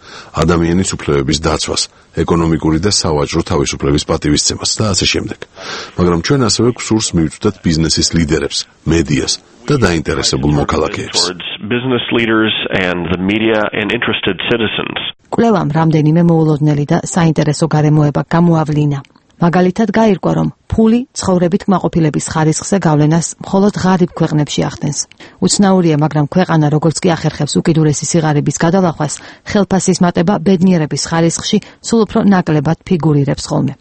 ადამიანის უფლებების დაცვას, ეკონომიკური და სავაჭრო თავისუფლების პატივისცემას და ასე შემდეგ. მაგრამ ჩვენ ასევე გსურს მივწვდეთ ბიზნესის ლიდერებს, მედიას და დაინტერესებულ მოქალაქეებს. business leaders and the media and interested citizens. კვლევამ რამდენიმე მოულოდნელი და საინტერესო გარემოება გამოავლინა. მაგალითად გაირკვა, რომ ფული ცხოვრებით კმაყოფილების ხარისხზე გავლენას მხოლოდ ღარიბ ქვეყნებში ახდენს. უცნაურია, მაგრამ ქვეყანა როგორც კი ახერხებს უკიდურესი სიღარიბის გადალახვას, ხელფასის მატება ბედნიერების ხარისხში სულ უფრო ნაკლებად ფიგურირებს ხოლმე.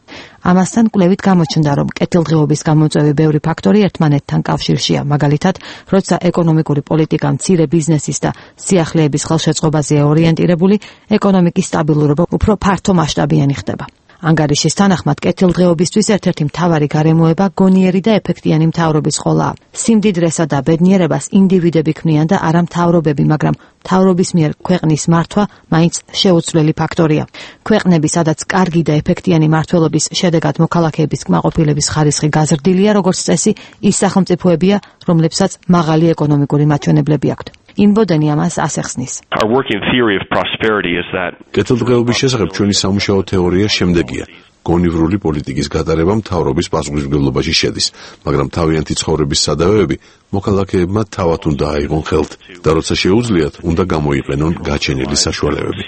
ამასთან კვლევით გამოჩნდა, რომ კეთილდღეობის გამომწვევი ბევრი ფაქტორი ერთმანეთთან კავშირშია, მაგალითად, როცა ეკონომიკური პოლიტიკა მცირე ბიზნესის და სიახლეების ხელშეწყობაზეა ორიენტირებული, ეკონომიკის სტაბილურობა უფრო ფართომასშტაბიანი ხდება. ანგარიშის თანახმად კეთილდღეობისთვის ერთ-ერთი მთავარი გარემოება გონიერი და ეფექტიანი მთავრობის ყოლაა. სიმდიდრესა და ბედნიერებას ინდივიდები ქმნიან და არა მთავრობები, მაგრამ მთავრობის მიერ ქვეყნის მართვა მაინც შეუცვლელი ფაქტორია. ქვეყნები, სადაც კარგი და ეფექტიანი მმართველობის შედეგად მოქალაქეების კმაყოფილების ხარისხი გაზრდილია, როგორც წესი, ის სახელმწიფოებია, რომლებსაც მაღალი ეკონომიკური მაჩვენებლები აქვთ. ინბოდენი ამას ასახსნის. Our working theory of prosperity is that კეთილდღეობის შესახებ ჩვენი სამუშაო თეორია შემდეგია. გონივრული პოლიტიკის გატარება მთავრობის პასუხისმგებლობაში შედის, მაგრამ თავიანთი ცხოვრების სადავეები მოქალაქეებმა თავად უნდა აიღონ ხელთ და როცა შეუძლიათ, უნდა გამოიყენონ გაჩენილი საშუალებები.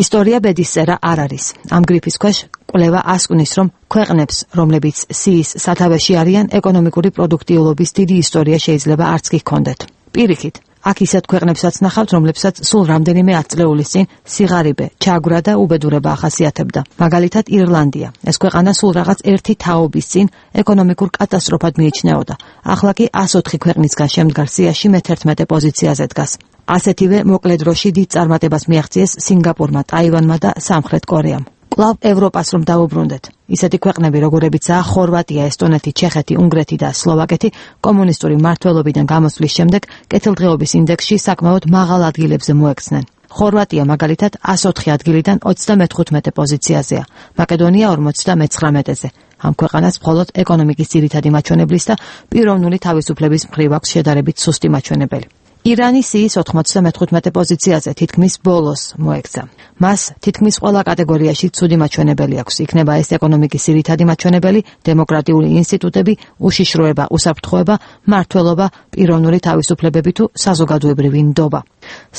ისტორია ბედისწერა არ არის. ამ გრიფის ქვეშ კვლევა ასკვნის, რომ ქვეყნებს, რომლებიც სიის სათავეში არიან, ეკონომიკური პროდუქტიულობის დიდი ისტორია შეიძლება არც კი ჰქონდეთ. პირიქით, აქ ისეთ ქვეყნებსაც ნახავთ, რომლებსაც სულ რამდენიმე ათწლეულის წინ სიღარიბე, ჩაგვრა და უბედურება ახასიათებდა. მაგალითად, ირლანდია. ეს ქვეყანა სულ რაღაც ერთი თაობის წინ ეკონომიკურ კატასტროფად მიიჩნეოდა. ახლა კი ას ოთხი ქვეყნისგან შემდგარ სიაში მეთერთმეტე პოზიციაზე დგას. ასეთივე მოკლე დროში დიდ წარმატებას მიაღწიეს სინგაპურმა, ტაივანმა და სამხრეთ კორეამ. კვლავ ევროპას რომ დავუბრუნდეთ. ისეთი ქვეყნები, როგორებიცაა ხორვატია, ესტონეთი, ჩეხეთი, უნგრეთი და სლოვაკეთი, კომუნისტური მმართველობიდან გამოსვლის შემდეგ კეთილდღეობის ინდექსში საკმაოდ მაღალ ადგილებზე მოექცნენ. ხორვატია მაგალითად ას ოთხი ადგილიდან ოცდამეთხუთმეტე პოზიციაზეა, მაკედონია ორმოცდამეცხრამეტეზე. ამ ქვეყანას მხოლოდ ეკონომიკის ძირითადი მაჩვენებლის და პიროვნული თავისუფლების მხრივ აქვს შედარებით სუსტი მაჩვენებელი. ირანი სიის ოთხმოცდამეთხუთმეტე პოზიციაზე თითქმის ბოლოს მოექცა. მას თითქმის ყველა კატეგორიაში ცუდი მაჩვენებელი აქვს. იქნება ეს ეკონომიკის ძირითადი მაჩვენებელი, დემოკრატიული ინსტიტუტები, უშიშროება, უსაფრთხოება, მმართველობა, პიროვნული თავისუფლებები თუ საზოგადოებრივი ნდობა.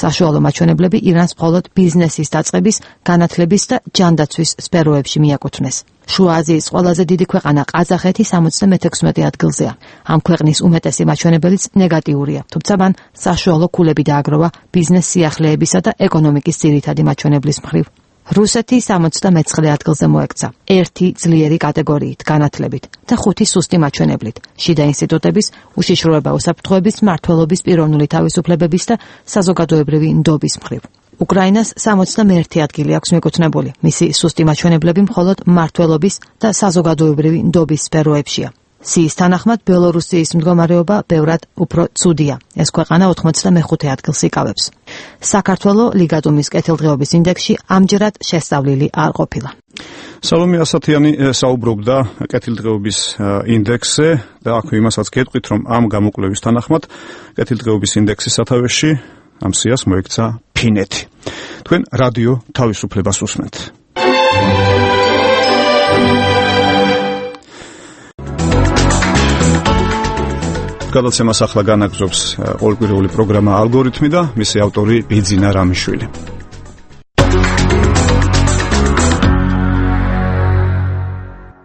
საშუალო მაჩვენებლები ირანს მხოლოდ ბიზნესის დაწყების, განათლების და ჯანდაცვის სფეროებში მიაკუთვნეს. შუა აზიის ყველაზე დიდი ქვეყანა ყაზახეთი სამოცდამეექვსმეტე ადგილზეა. ამ ქვეყნის უმეტესი მაჩვენებელიც ნეგატიურია, თუმცა მან საშუალო ქულები დააგროვა ბიზნეს სიახლეებისა და ეკონომიკის ძირითადი მაჩვენებლის მხრივ. რუსეთი სამოცდამეცხრე ადგილზე მოექცა, ერთი ძლიერი კატეგორიით, განათლებით და ხუთი სუსტი მაჩვენებლით, შიდა ინსტიტუტების, უშიშროება, უსაფრთხოების, მმართველობის, პიროვნული თავისუფლებების და საზოგადოებრივი ნდობის მხრივ. უკრაინას სამოცდამეერთე ადგილი აქვს მიკუთვნებული, მისი სუსტი მაჩვენებლები მხოლოდ მმართველობის და საზოგადოებრივი ნდობის სფეროებშია. სიის თანახმად ბელორუსიის მდგომარეობა ბევრად უფრო ცუდია. ეს ქვეყანა ოთხმოცდამეხუთე ადგილს იკავებს. საქართველო ლიგადუმის კეთილდღეობის ინდექსში ამჯერად შესწავლილი არ ყოფილა. სალომე ასათიანი საუბრობდა კეთილდღეობის ინდექსზე და აქვე იმასაც გეტყვით, რომ ამ გამოკვლევის თანახმად კეთილდღეობის ინდექსის სათავეში ამ სიას მოექცა ფინეთი. თქვენ რადიო თავისუფლებას უსმენთ. გადაცემას ახლა განაგზობს ორკვირეული პროგრამა ალგორითმი და მისი ავტორი ბიძინა რამიშვილი.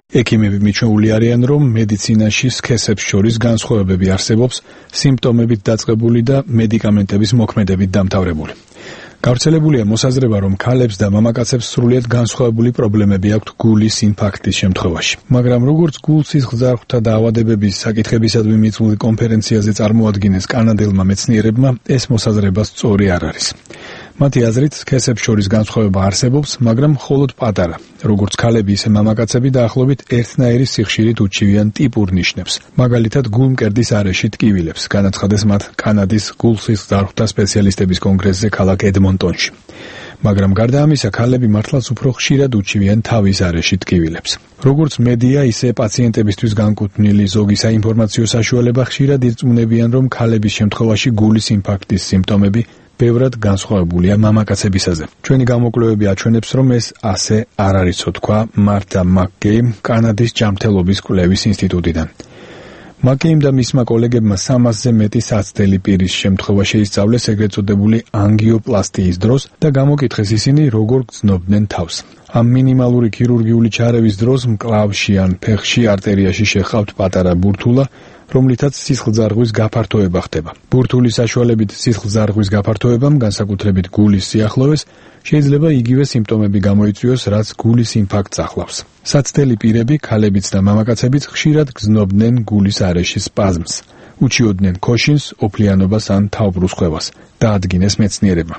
ექიმები მიჩვეული არიან, რომ მედიცინაში სქესებს შორის განსხვავებები არსებობს, სიმპტომებით დაწყებული და მედიკამენტების მოქმედებით დამთავრებული. გავრცელებულია მოსაზრება, რომ ქალებს და მამაკაცებს სრულიად განსხვავებული პრობლემები აქვთ გულის ინფარქტის შემთხვევაში. მაგრამ როგორც გულ-სისხლძარღვთა დაავადებების საკითხებისადმი მიწვეული კონფერენციაზე წარმოადგინეს კანადელმა მეცნიერებმა, ეს მოსაზრება სწორი არ არის. მათი აზრით, სქესებს შორის განსხვავება არსებობს, მაგრამ მხოლოდ პატარა. როგორც ქალები, ისე მამაკაცები დაახლოებით ერთნაირი სიხშირით უჩივიან ტიპურ ნიშნებს. მაგალითად, გულმკერდის არეში ტკივილებს, განაცხადეს მათ კანადის გულ-სისხლძარღვთა სპეციალისტების კონგრესზე ქალაქ ედმონტონში. მაგრამ გარდა ამისა, ქალები მართლაც უფრო ხშირად უჩივიან თავის არეში ტკივილებს. როგორც მედია, ისე პაციენტებისთვის განკუთვნილი ზოგი საინფორმაციო საშუალება ხშირად ირწმუნებიან, რომ ქალების შემთხვევაში გულის ინფარქტის სიმპტომები ბევრად განსხვავებულია მამაკაცებისაზე. ჩვენი გამოკვლევები აჩვენებს, რომ ეს ასე არ არისო, თქვა მარტა მაკკეიმ კანადის ჯანმრთელობის კვლევის ინსტიტუტიდან. მაკკეიმ და მისმა კოლეგებმა სამასზე მეტი საცდელი პირის შემთხვევა შეისწავლეს ეგრეთ წოდებული ანგიოპლასტიის დროს და გამოკითხეს ისინი როგორ გრძნობდნენ თავს. ამ მინიმალური ქირურგიული ჩარევის დროს მკლავში ან ფეხში არტერიაში შეჰყავთ პატარა ბურთულა, რომლითაც სისხლძარღვის გაფართოება ხდება. ბურთულის საშუალებით სისხლძარღვის გაფართოებამ, განსაკუთრებით გულის სიახლოვეს, შეიძლება იგივე სიმპტომები გამოიწვიოს, რაც გულის ინფარქტს ახლავს. საცდელი პირები, ქალებიც და მამაკაცებიც ხშირად გრძნობდნენ გულის არეში სპაზმს, უჩიოდნენ ქოშინს, ოფლიანობას ან თავბრუსხვევას, დაადგინეს მეცნიერებმა.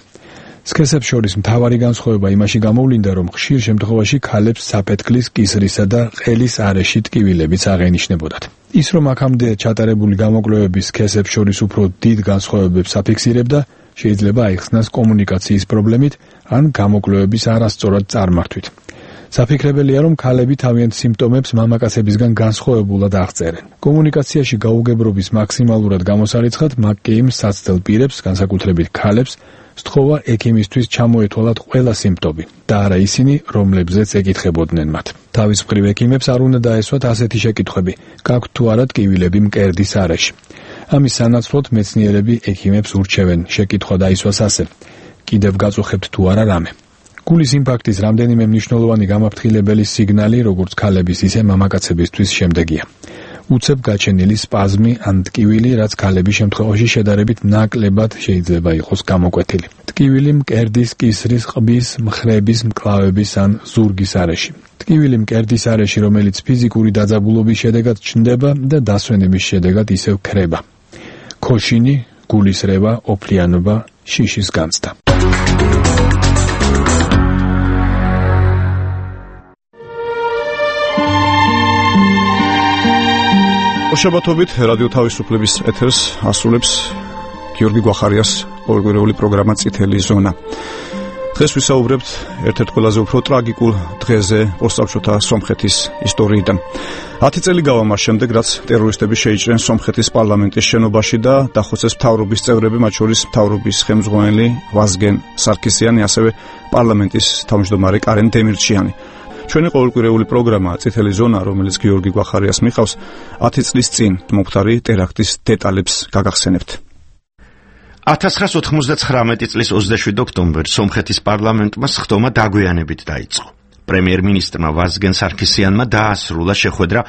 სქესებს შორის მთავარი განსხვავება იმაში გამოვლინდა, რომ ხშირ შემთხვევაში ქალებს საფეთქლის, კისრისა და ყელის არეში ტკივილებიც აღენიშნებოდათ. ის, რომ აქამდე ჩატარებული გამოკვლევების სქესებს შორის უფრო დიდ განსხვავებებს აფიქსირებდა, შეიძლება აიხსნას კომუნიკაციის პრობლემით ან გამოკვლევების არასწორად წარმართვით. საფიქრებელია, რომ ქალები თავიანთ სიმპტომებს მამაკაცებისგან განსხვავებულად აღწერენ. კომუნიკაციაში გაუგებრობის მაქსიმალურად გამოსარიცხად, მაკკეიმ საცდელ პირებს, განსაკუთრებით ქალებს, სთხოვა ექიმისთვის ჩამოეთვალათ ყველა სიმპტომი და არა ისინი, რომლებზეც ეკითხებოდნენ მათ. თავის მხრივ ექიმებს არ უნდა დაესვათ ასეთი შეკითხვები: გაქვთ თუ არა ტკივილები მკერდის არეში? ამის სანაცვლოდ მეცნიერები ექიმებს ურჩევენ შეკითხვა დაისვას ასე: კიდევ გაწუხებთ თუ არა რამე? გულის ინფარქტის რამდენიმე მნიშვნელოვანი გამაფრთხილებელი სიგნალი, როგორც ქალების, ისე მამაკაცებისთვის შემდეგია. უცებ გაჩენილი სპაზმი ან ტკივილი, რაც ქალების შემთხვევაში შედარებით ნაკლებად შეიძლება იყოს გამოკვეთილი. ტკივილი მკერდის, კისრის, ყბის, მხრების, მკლავების ან ზურგის არეში. ტკივილი მკერდის არეში, რომელიც ფიზიკური დაძაბულობის შედეგად ჩნდება და დასვენების შედეგად ისევ ქრება. ქოშინი, გულის რევა, ოფლიანობა, შიშის განცდა. შაბათობით რადიო თავისუფლების ეთერს ასრულებს გიორგი გვახარიას ყოველკვირეული პროგრამა წითელი ზონა. დღეს ვისაუბრებთ ერთ-ერთ ყველაზე უფრო ტრაგიკულ დღეზე პოსტსაბჭოთა სომხეთის ისტორიიდან. ათი წელი გავა მას შემდეგ, რაც ტერორისტები შეიჭრნენ სომხეთის პარლამენტის შენობაში და დახოცეს მთავრობის წევრები, მათ შორის მთავრობის ხელმძღვანელი ვაზგენ სარქისიანი, ასევე პარლამენტის თავმჯდომარე კარენ დემირჩიანი. ჩვენი ყოველკვირეული პროგრამა წითელი ზონა, რომელიც გიორგი გვახარიას მიყავს, ათი წლის წინ მომხდარი ტერაქტის დეტალებს გაგახსენებთ. ათას ცხრაას ოთხმოცდაცხრამეტი წლის ოცდაშვიდი ოქტომბერს სომხეთის პარლამენტმა სხდომა დაგვიანებით დაიწყო. პრემიერ-მინისტრმა ვაზგენ სარქისიანმა დაასრულა შეხვედრა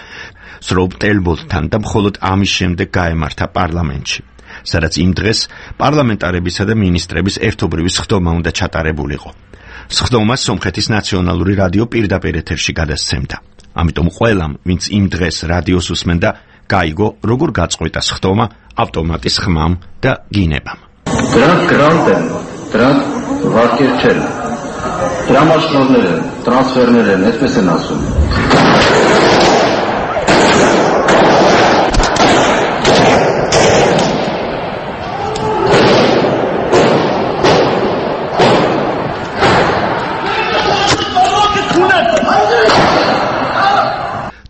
სრობტელბოლთან და მხოლოდ ამის შემდეგ გაემართა პარლამენტში, სადაც იმ დღეს პარლამენტარებისა და მინისტრების ერთობრივი სხდომა უნდა ჩატარებულიყო. სხდომას სომხეთის ნაციონალური რადიო პირდაპირ ეთერში გადასცემდა. ამიტომ ყველამ, ვინც იმ დღეს რადიოს უსმენდა, გაიგო, როგორ გაწყვეტა სხდომა ავტომატის ხმამ და გინებამ. Դրանք գրանտ են, դրանք վարկեր չեն, դրամաշնորներ են, տրանսֆերներ են, այսպես են ասում.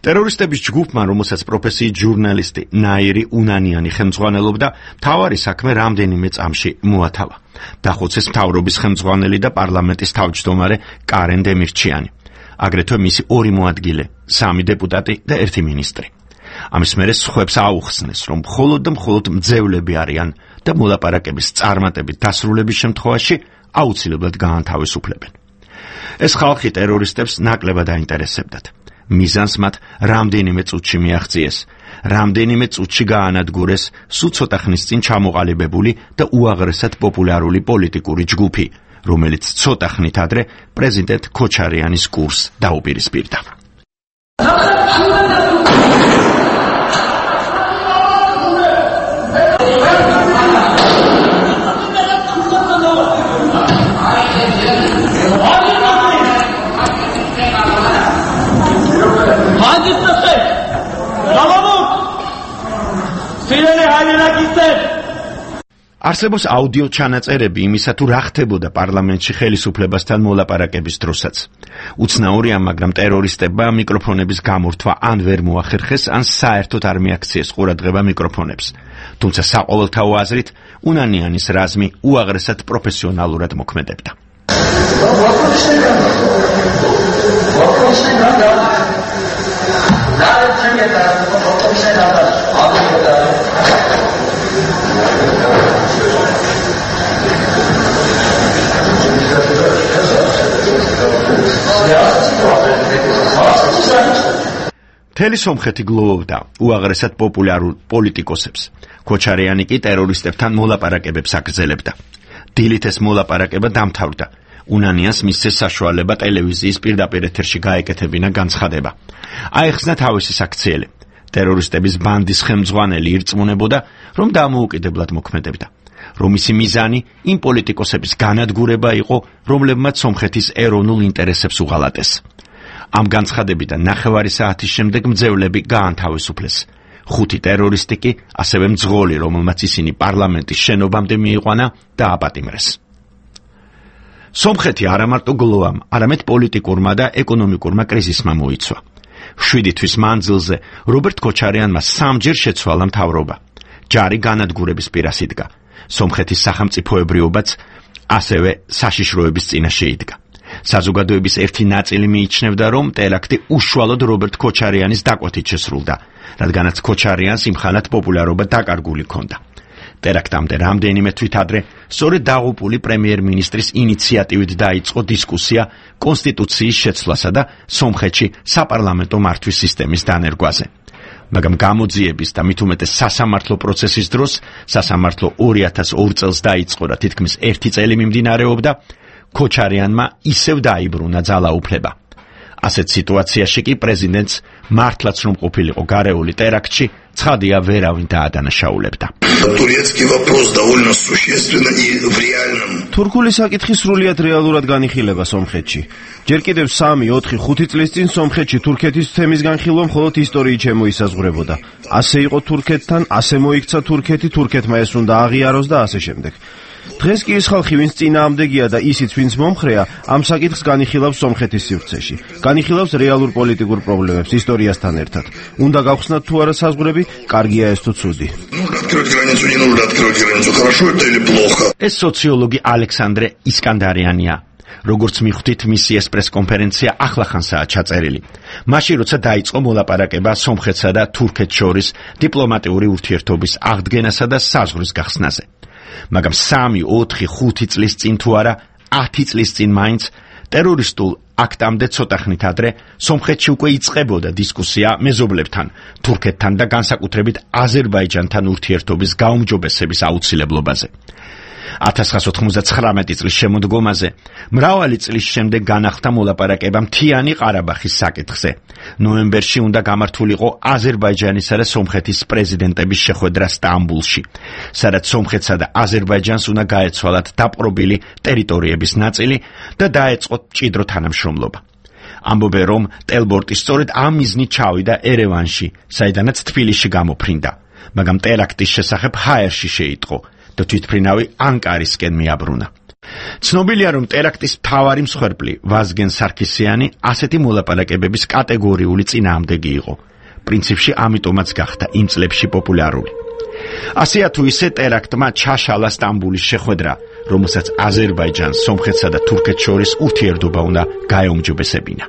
ტერორისტების ჯგუფმა, რომელსაც პროფესიით ჟურნალისტი ნაირი უნანიანი ხელმძღვანელობდა, მთავარი საქმე რამდენიმე წამში მოათავა. დახოცეს მთავრობის ხელმძღვანელი და პარლამენტის თავმჯდომარე კარენ დემირჩიანი. აგრეთვე მისი ორი მოადგილე, სამი დეპუტატი და ერთი მინისტრი. ამის მერე სხვებს აუხსნეს, რომ მხოლოდ და მხოლოდ მძევლები არიან და მოლაპარაკების წარმატებით დასრულების შემთხვევაში აუცილებლად გაანთავისუფლებენ. ეს ხალხი ტერორისტებს ნაკლებად აინტერესებდათ. მიზანს მათ რამდენიმე წუთში მიაღწიეს, რამდენიმე წუთში გაანადგურეს სულ ცოტა ხნის წინ ჩამოყალიბებული და უაღრესად პოპულარული პოლიტიკური ჯგუფი, რომელიც ცოტა ხნით ადრე პრეზიდენტ ქოჩარიანის კურსს დაუპირისპირდა. არსებობს აუდიო ჩანაწერები იმისა, თუ რა ხდებოდა პარლამენტში ხელისუფლებასთან მოლაპარაკების დროსაც. უცნაურია, მაგრამ ტერორისტებმა მიკროფონების გამორთვა ან ვერ მოახერხეს, ან საერთოდ არ მიაქციეს ყურადღება მიკროფონებს. თუმცა საყოველთაო აზრით, უნანიანის რაზმი უაღრესად პროფესიონალურად მოქმედებდა. მთელი სომხეთი გლოვობდა უაღრესად პოპულარულ პოლიტიკოსებს. ქოჩარიანი კი ტერორისტებთან მოლაპარაკებებს აგრძელებდა. დილით ეს მოლაპარაკება დამთავრდა. უნანიანს მისცეს საშუალება ტელევიზიის პირდაპირ ეთერში გაეკეთებინა განცხადება. აეხსნა თავისი საქციელი. ტერორისტების ბანდის ხელმძღვანელი ირწმუნებოდა, რომ დამოუკიდებლად მოქმედებდა. რომ ისი მიზანი იმ პოლიტიკოსების განადგურება იყო, რომლებმაც სომხეთის ეროვნულ ინტერესებს უღალატეს. ამ განცხადებიდან ნახევარი საათის შემდეგ მძევლები გაანთავისუფლეს. ხუთი ტერორისტი კი ასევე მძღოლი, რომელმაც ისინი პარლამენტის შენობამდე მიიყვანა, დააპატიმრეს. სომხეთი არა მარტო გლოვამ, არამედ პოლიტიკურმა და ეკონომიკურმა კრიზისმა მოიცვა. შვიდი თვის მანძილზე რობერტ ქოჩარიანმა სამჯერ შეცვალა მთავრობა. ჯარი განადგურების პირას იდგა. სომხეთის სახელმწიფოებრიობაც ასევე საშიშროების წინაშე იდგა. საზოგადოების ერთი ნაწილი მიიჩნევდა, რომ ტერაქტი უშუალოდ რობერტ ქოჩარიანის დაკვეთით შესრულდა, რადგანაც ქოჩარიანს იმხანად პოპულარობა დაკარგული ჰქონდა. ტერაქტამდე რამდენიმე თვით ადრე სწორედ დაღუპული პრემიერ-მინისტრის ინიციატივით დაიწყო დისკუსია კონსტიტუციის შეცვლასა და სომხეთში საპარლამენტო მართვის სისტემის დანერგვაზე. მაგრამ გამოძიების და მით უმეტეს სასამართლო პროცესის დროს, სასამართლო ორი ათას ორ წელს დაიწყო და თითქმის ერთი წელი მიმდინარეობდა, ქოჩარიანმა ისევ დაიბრუნა ძალაუფლება. ასეთ სიტუაციაში კი პრეზიდენტს მართლაც რომ ყოფილიყო გარეული ტერაქტში, ცხადია ვერავინ დაადანაშაულებდა. თურქული საკითხი სრულიად რეალურად განიხილება სომხეთში. ჯერ კიდევ სამი, ოთხი, ხუთი წლის წინ სომხეთში თურქეთის თემის განხილვა მხოლოდ ისტორიით შემოისაზღვრებოდა. ასე იყო თურქეთთან, ასე მოიქცა თურქეთი, თურქეთმა ეს უნდა აღიაროს და ასე შემდეგ. დღეს კი ის ხალხი, ვინც წინააღმდეგია და ისიც, ვინც მომხრეა, ამ საკითხს განიხილავს სომხეთის სივრცეში. განიხილავს რეალურ პოლიტიკურ პრობლემებს ისტორიასთან ერთად. უნდა გავხსნათ თუ არა საზღვრები, კარგია ეს თუ ცუდი. ეს სოციოლოგი ალექსანდრე ისკანდარიანია. როგორც მიხვდით, მისი ეს პრესკონფერენცია ახლახანსაა ჩაწერილი. მაშინ, როცა დაიწყო მოლაპარაკება სომხეთსა და თურქეთს შორის დიპლომატიური ურთიერთობის აღდგენასა და საზღვრის გახსნაზე. მაგრამ სამი, ოთხი, ხუთი წლის წინ თუ არა, ათი წლის წინ მაინც ტერორისტულ აქტამდე ცოტა ხნით ადრე სომხეთში უკვე იწყებოდა დისკუსია მეზობლებთან, თურქეთთან და განსაკუთრებით აზერბაიჯანთან ურთიერთობის გაუმჯობესების აუცილებლობაზე. ათას ცხრაასი ოცდათხმეტი წლის შემოდგომაზე მრავალი წლის შემდეგ განახლდა მოლაპარაკება მთიანი ყარაბახის საკითხზე. ნოემბერში უნდა გამართულიყო აზერბაიჯანისა და სომხეთის პრეზიდენტების შეხვედრა სტამბულში, სადაც სომხეთსა და აზერბაიჯანს უნდა გაეცვალათ დაპყრობილი ტერიტორიების ნაწილი და დაეწყოთ მჭიდრო თანამშრომლობა. ამბობენ, რომ ტელბორტი სწორედ ამ მიზნით ჩავიდა ერევანში, საიდანაც თბილისში გამოფრინდა, მაგრამ ტერაქტის შესახებ ჰაერში შეიტყო და თვითმფრინავი ანკარისკენ მიაბრუნა. ცნობილია, რომ ტერაქტის მთავარი მსხვერპლი ვაზგენ სარქისიანი ასეთი მოლაპარაკებების კატეგორიული წინააღმდეგი იყო. პრინციპში ამიტომაც გახდა იმ წლებში პოპულარული. ასეა თუ ისე ტერაქტმა ჩაშალა სტამბულის შეხვედრა, რომელსაც აზერბაიჯანს, სომხეთსა და თურქეთს შორის ურთიერთობა უნდა გაეუმჯობესებინა.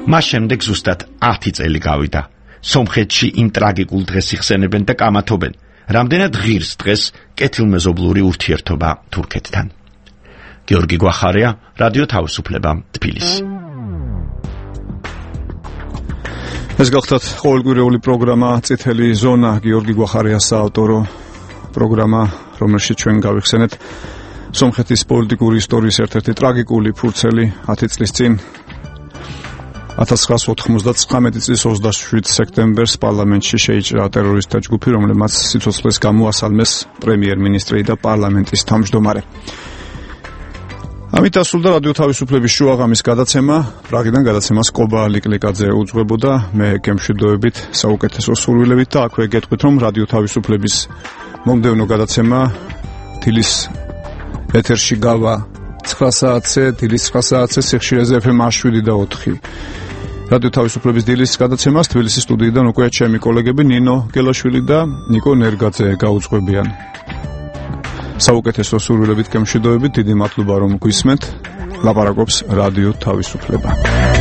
მას შემდეგ ზუსტად ათი წელი გავიდა. სომხეთში იმ ტრაგიკულ დღეს იხსენებენ და კამათობენ, რამდენად ღირს დღეს კეთილმეზობლური ურთიერთობა თურქეთთან. გიორგი გვახარია, რადიო თავისუფლება, თბილისი. ეს გახლავთ ყოველკვირეული პროგრამა წითელი ზონა, გიორგი გვახარიას საავტორო პროგრამა, რომელშიც ჩვენ გავიხსენეთ სომხეთის პოლიტიკური ისტორიის ერთ-ერთი ტრაგიკული ფურცელი ათი წლის წინ ათას ცხრაას ოთხმოცდათცამეტი წლის ოცდაშვიდ სექტემბერს პარლამენტში შეიჭრა ტერორისტთა ჯგუფი, რომელმაც სიცოცხლეს გამოასალმეს პრემიერ-მინისტრი და პარლამენტის თავმჯდომარე. ამით დასრულდა რადიო თავისუფლების შუაღამის გადაცემა. პრაღიდან გადაცემას კობა ლიკლიკაძე უძღვებოდა, მე გემშვიდობებით, საუკეთესო სურვილებით და აქვე გეტყვით, რომ რადიო თავისუფლების მომდევნო გადაცემა დილის ეთერში გავა ცხრა საათზე, დილის ცხრა საათზე სიხშირეზე ეფ ემ შვიდი და ოთხი. რადიო თავისუფლების დილის გადაცემას თბილისის სტუდიიდან უკვე ჩემი კოლეგები ნინო გელაშვილი და ნიკო ნერგაძე გაუძღვებიან. საუკეთესო სურვილებით გემშვიდობებით, დიდი მადლობა რომ გვისმენთ. ლაპარაკობს რადიო თავისუფლება.